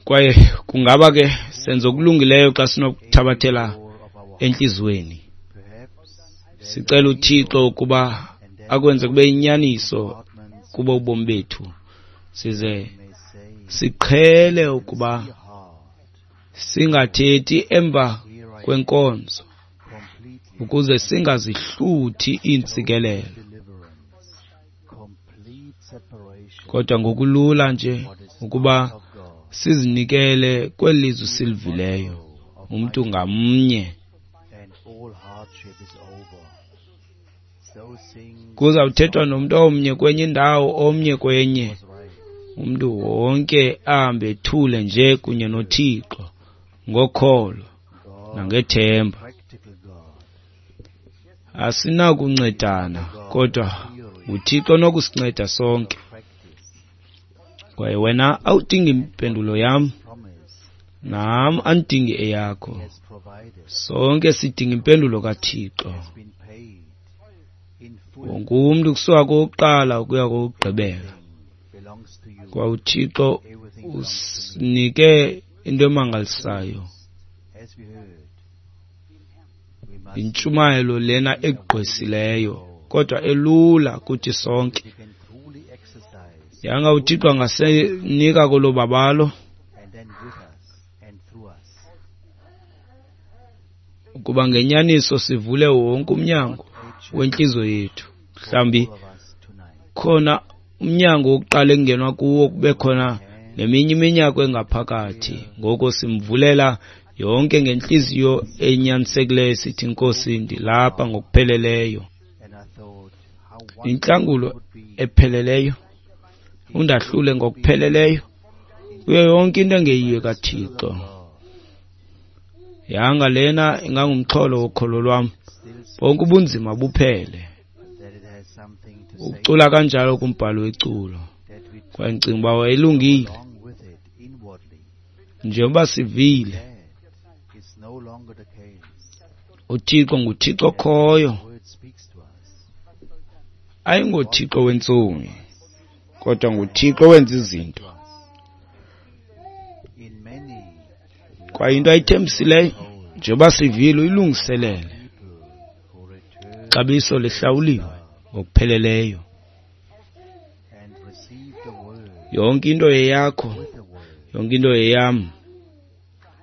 Kwaye kungaba ke senze okulungileyo xa sinokuthabathela entliziyweni. Sicela uThixo ukuba akwenze kube yinyaniso kubo ubomi bethu, size siqhele ukuba singathethi emva kwenkonzo ukuze singazihluthi iintsikelelo, kodwa ngokulula nje ukuba sizinikele kweli lizwi silivileyo, umntu ngamnye. Kuzawuthethwa nomntu omnye kwenye indawo, omnye kwenye. Umntu wonke ahambe ethule nje kunye noThixo ngokholo nangethemba. Asinakuncedana, kodwa nguThixo onokusinceda sonke. Kwaye wena awudingi impendulo yam, nam andidingi eyakho. Sonke sidinga impendulo kaThixo. Wonke umntu kusuka kowokuqala ukuya kowokugqibela. Kwa uThixo usinike into emangalisayo, intshumayelo lena egqwesileyo kodwa elula kuthi sonke. Yanga uThixo angasinika kolo babalo ukuba ngenyaniso sivule wonke umnyango wentliziyo yethu. Mhlawumbi khona umnyango wokuqala ekungenwa kuwo, kube khona neminye iminyango engaphakathi. Ngoko simvulela yonke ngentliziyo enyanisekileyo, sithi, Nkosi, ndilapha ngokupheleleyo. Intlangulo epheleleyo, undahlule ngokupheleleyo kuyo yonke into engeyiyo kaThixo. Yanga lena ingangumxholo wokholo lwam, bonke ubunzima buphele. Ucula kanjalo kumbhalo weculo. Kwaye ndicinga uba wayelungile. Njengoba sivile, uThixo nguThixo okhoyo, ayingoThixo wentsomi, kodwa nguThixo owenza izinto. Kwaye into ayithembisileyo, njengoba sivile, uyilungiselele. Ixabiso lihlawuliwe ngokupheleleyo. Yonke into yeyakho, yonke into yeyam.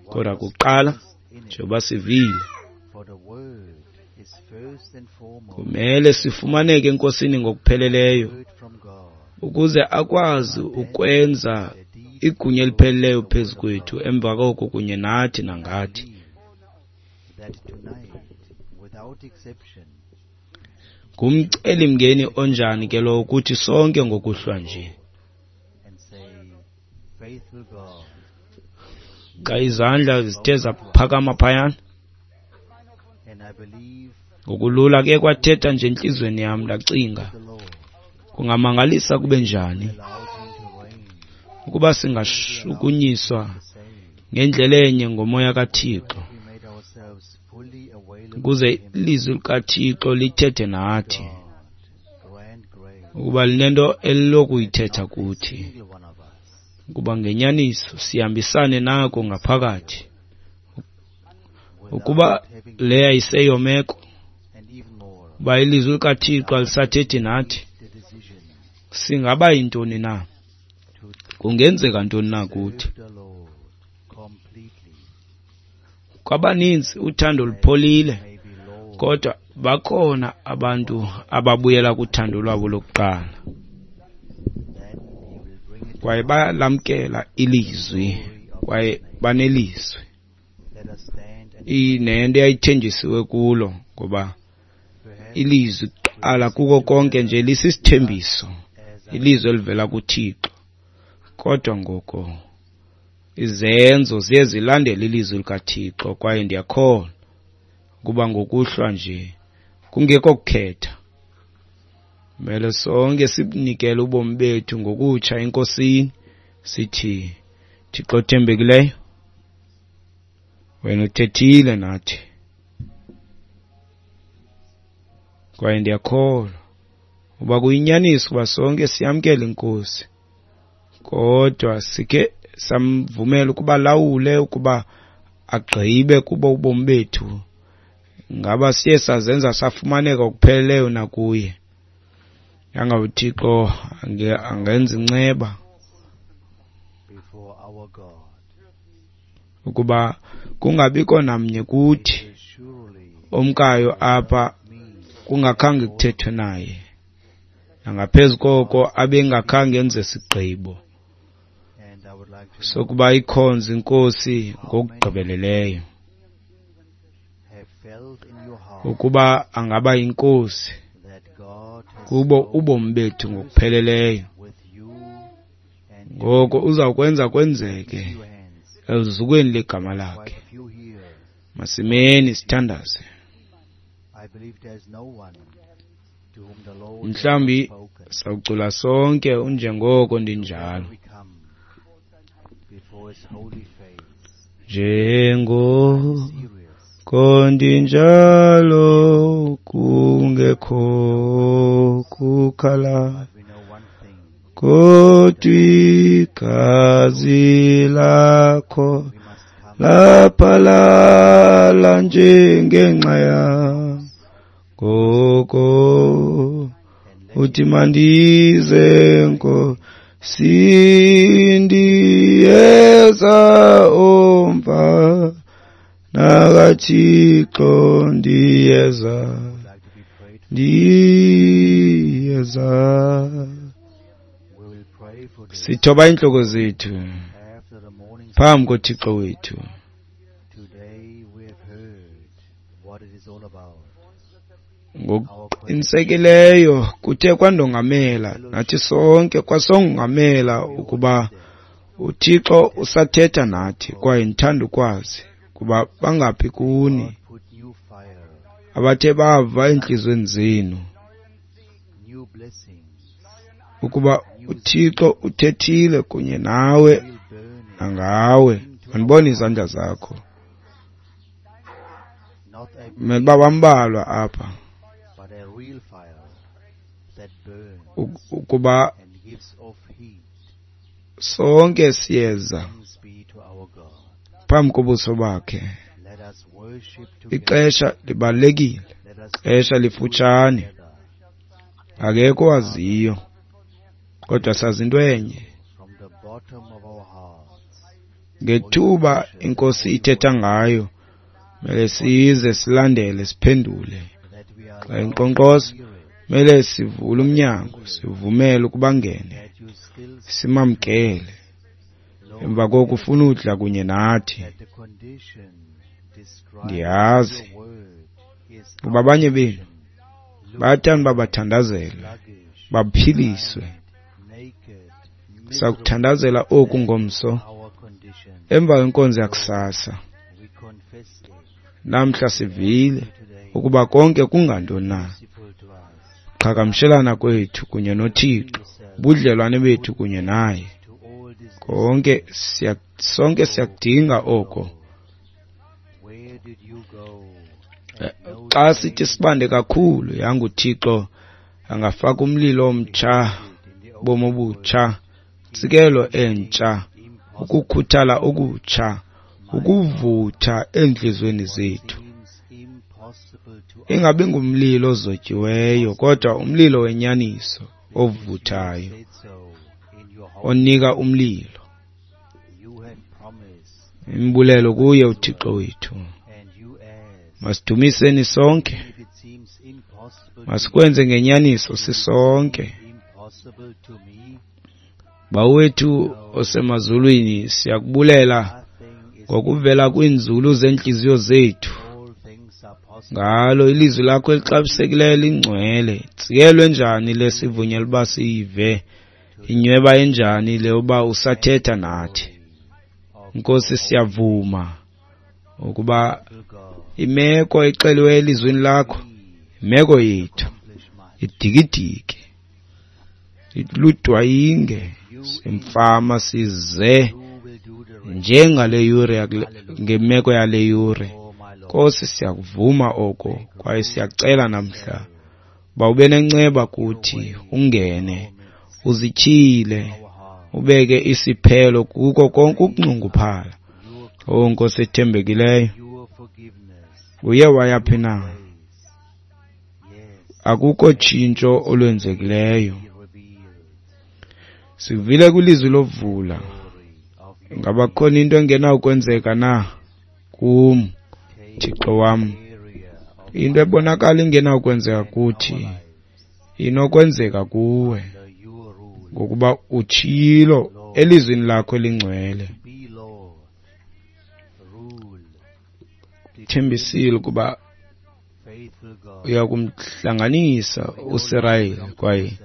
Kodwa kuqala, njengoba sivile, kumele sifumaneke eNkosini ngokupheleleyo ukuze akwazi ukwenza igunya elipheleleyo phezu kwethu, emva koko kunye nathi nangathi. Ngumcelimngeni onjani ke lowo kuthi sonke ngokuhlwa nje. Xa izandla zithe zaphakama phayana, ngokulula ke kwathetha nje entliziyweni yam, ndacinga, kungamangalisa kube njani ukuba singashukunyiswa ngendlela enye ngomoya kaThixo, Ukuze ilizwi likaThixo lithethe nathi, ukuba linento elilokuyithetha kuthi, ukuba ngenyaniso sihambisane nako ngaphakathi. Ukuba leya iseyomeko, uba ilizwi likaThixo alisathethi nathi, singaba yintoni na? Kungenzeka ntoni na kuthi? Kwabaninzi uthando lupholile, kodwa bakhona abantu ababuyela kuthando lwabo lokuqala. Kwaye bayalamkela ilizwi, kwaye banelizwi. Inento eyayithenjisiwe kulo, ngoba ilizwi kuqala kuko konke nje lisisithembiso, ilizwi elivela kuThixo. Kodwa ngoko izenzo ziye zilandele ilizwi likaThixo, kwaye ndiyakholwa ukuba ngokuhlwa nje kungekho kukhetha, kumele sonke sibunikele ubomi bethu ngokutsha eNkosini, sithi, Thixo othembekileyo, wena uthethile nathi, kwaye ndiyakholwa uba kuyinyaniso uba sonke siyamkela iNkosi, kodwa sikhe samvumela ukuba lawule, ukuba agqibe kubo ubomi bethu. Ngaba siye sazenza safumaneka okupheleleyo nakuye? Yanga uThixo angenza inceba ukuba kungabikho namnye kuthi omkayo apha kungakhange kuthethwe naye, nangaphezu koko abengakhange enze sigqibo sokuba ikhonze iNkosi ngokugqibeleleyo, ukuba angaba yinkosi kubo ubomi bethu ngokupheleleyo. Ngoko uzawukwenza kwenzeke eluzukweni legama lakhe. Masimeni sithandaze. Mhlawumbi sawucula sonke unjengoko ndinjalo. Njengoko ndinjalo kungekho kukhala, kodwa igazi lakho laphalala njengenxa yam. Ngoko uthi mandize Nkosi, ndiyeza omva nakaThixo, ndiyeza, ndiyeza. Sithoba iintloko zethu phambi koThixo wethu. Ngokuqinisekileyo kuthe kwandongamela nathi sonke, kwasongamela ukuba uThixo usathetha nathi, kwaye ndithanda ukwazi kuba bangaphi kuni abathe bava entliziyweni zenu ukuba uThixo uthethile kunye nawe nangawe. Mandibone izandla zakho. Mele bambalwa apha ukuba sonke siyeza phambi kobuso bakhe. Ixesha libalulekile, ixesha lifutshane, akekho waziyo, kodwa sazi into enye. Ngethuba iNkosi ithetha ngayo, mele size silandele, siphendule. Xa inkqonkqoza, mele sivule umnyango, sivumele ukuba ngene, simamkele. Emva koko ufuna udla kunye nathi. Ndiyazi kuba abanye benu bayathanda uba bathandazelwe, baphiliswe. Sakuthandazela oku ngomso emva kwenkonzo yakusasa. Namhla sivile ukuba konke kungantoni na, qhagamshelana kwethu kunye noThixo, ubudlelwane bethu kunye naye, konke sonke siyakudinga oko. Xa sithi sibande kakhulu, yanga uThixo angafaka umlilo omtsha, ubomi obutsha, intsikelo entsha, ukukhuthala okutsha, ukuvutha eentliziyweni zethu. Ingabi ngumlilo ozotyiweyo, kodwa umlilo wenyaniso ovuthayo, onika umlilo. Imbulelo kuye uThixo wethu. Masidumiseni sonke, masikwenze ngenyaniso sisonke. Bawo wethu osemazulwini, siyakubulela ngokuvela kwiinzulu zeentliziyo zethu ngalo ilizwi lakho elixabisekileyo lingcwele. Ntsikelwe njani le sivunyelwa uba siyive, inyweba enjani le uba usathetha nathi. Nkosi, siyavuma ukuba imeko exeliweyo elizwini lakho, imeko yethu idikidiki, ludwayinge, simfama size njengale yure, ngemeko yale yure. Nkosi, siyakuvuma oko kwaye siyacela namhla uba ube nenceba kuthi, ungene uzityhile, ubeke isiphelo kuko konke ukunxunguphala. O Nkosi ethembekileyo, uye wayaphi na? Akukho tshintsho olwenzekileyo. Sivile kwilizwi lovula. Ngaba khona into engenawukwenzeka na kum, Thixo wam? Into ebonakala ingenawukwenzeka kuthi inokwenzeka kuwe, ngokuba utshilo elizwini lakho elingcwele. Thembisile ukuba uya kumhlanganisa uSirayeli, kwaye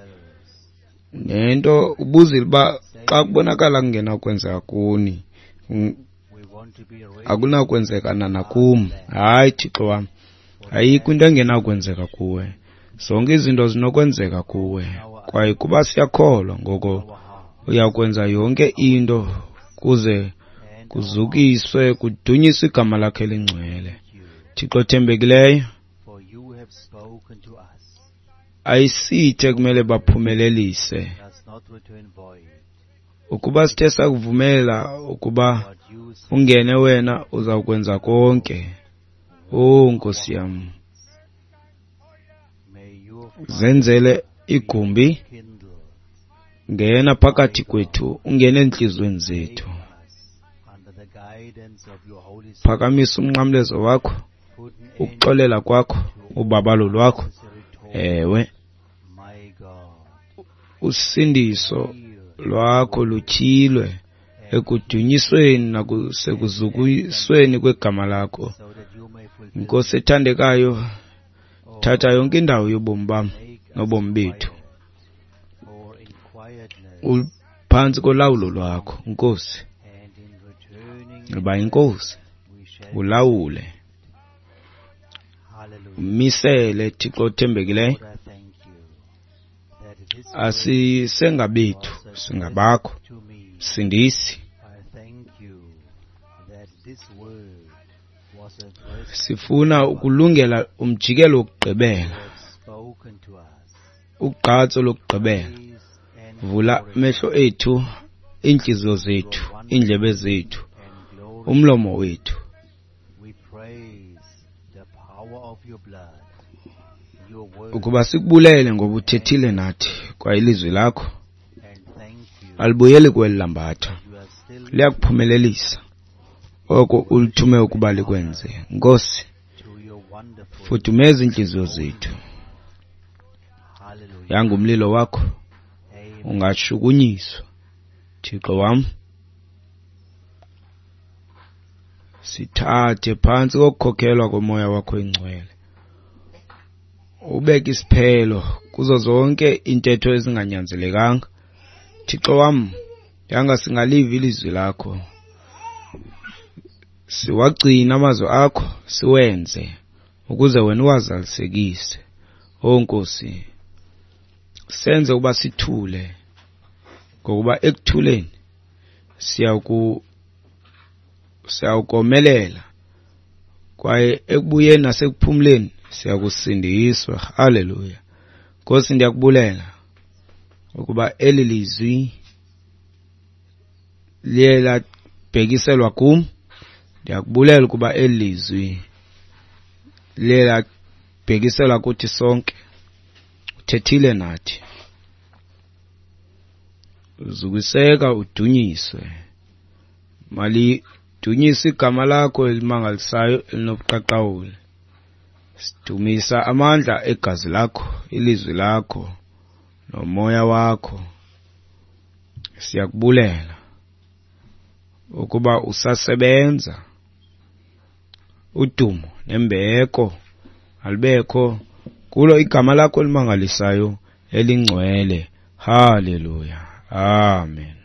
nento ubuzile uba xa kubonakala kungenakwenzeka kuni, akunakwenzeka nakum. Hayi, Thixo wam, ayikho into engenakwenzeka kuwe. Zonke izinto zinokwenzeka kuwe, kwaye kuba siyakholwa, ngoko uyakwenza yonke into kuze kuzukiswe, kudunyiswe igama lakho elingcwele. Thixo othembekileyo, ayisithe kumele baphumelelise. Ukuba sithe sakuvumela ukuba ungene wena, uzawukwenza konke. O Nkosi yam, zenzele igumbi, ngena phakathi kwethu, ungene entliziyweni zethu. Phakamisa umnqamlezo wakho, ukuxolela kwakho, ubabalo lwakho. Ewe, usindiso lwakho lutyhilwe ekudunyisweni nasekuzukisweni kwegama lakho. Nkosi ethandekayo, thatha yonke indawo yobomi bam nobomi bethu, uphantsi kolawulo lwakho, Nkosi. Yiba yinkosi, ulawule, umisele, Thixo othembekileyo. Asisengabethu, singabakho. Sindisi. Sifuna ukulungela umjikelo wokugqibela, ugqatso lokugqibela. Vula amehlo ethu, iintliziyo zethu, iindlebe zethu, umlomo wethu. Ukuba sikubulele ngoba uthethile nathi, kwaye ilizwi lakho alibuyeli kweli lambatha, liyakuphumelelisa oko ulithume ukuba likwenze. Nkosi, fudumeza iintliziyo zethu. Yanga umlilo wakho ungashukunyiswa, Thixo wam. Sithathe phantsi kokukhokhelwa komoya wakho ingcwele, ubeke isiphelo kuzo zonke iintetho ezinganyanzelekanga. Thixo wam, yanga singaliva ilizwi lakho, siwagcine amazwi akho, siwenze ukuze wena uwazalisekise. O Nkosi, senze ukuba sithule, ngokuba ekuthuleni siyawukomelela, Kwaye ekubuyeni nasekuphumleni siyakusindiswa. Haleluya. Nkosi, ndiyakubulela ukuba eli lizwi liye labhekiselwa kum. Ndiyakubulela ukuba eli lizwi liye labhekiselwa kuthi sonke. Uthethile nathi. Uzukiseka udunyiswe. Malidunyiswe igama lakho elimangalisayo elinobuqaqawuli. Sidumisa amandla egazi lakho, ilizwi lakho nomoya wakho. Siyakubulela ukuba usasebenza. Udumo nembeko alibekho kulo igama lakho elimangalisayo elingcwele. Haleluya. Amen.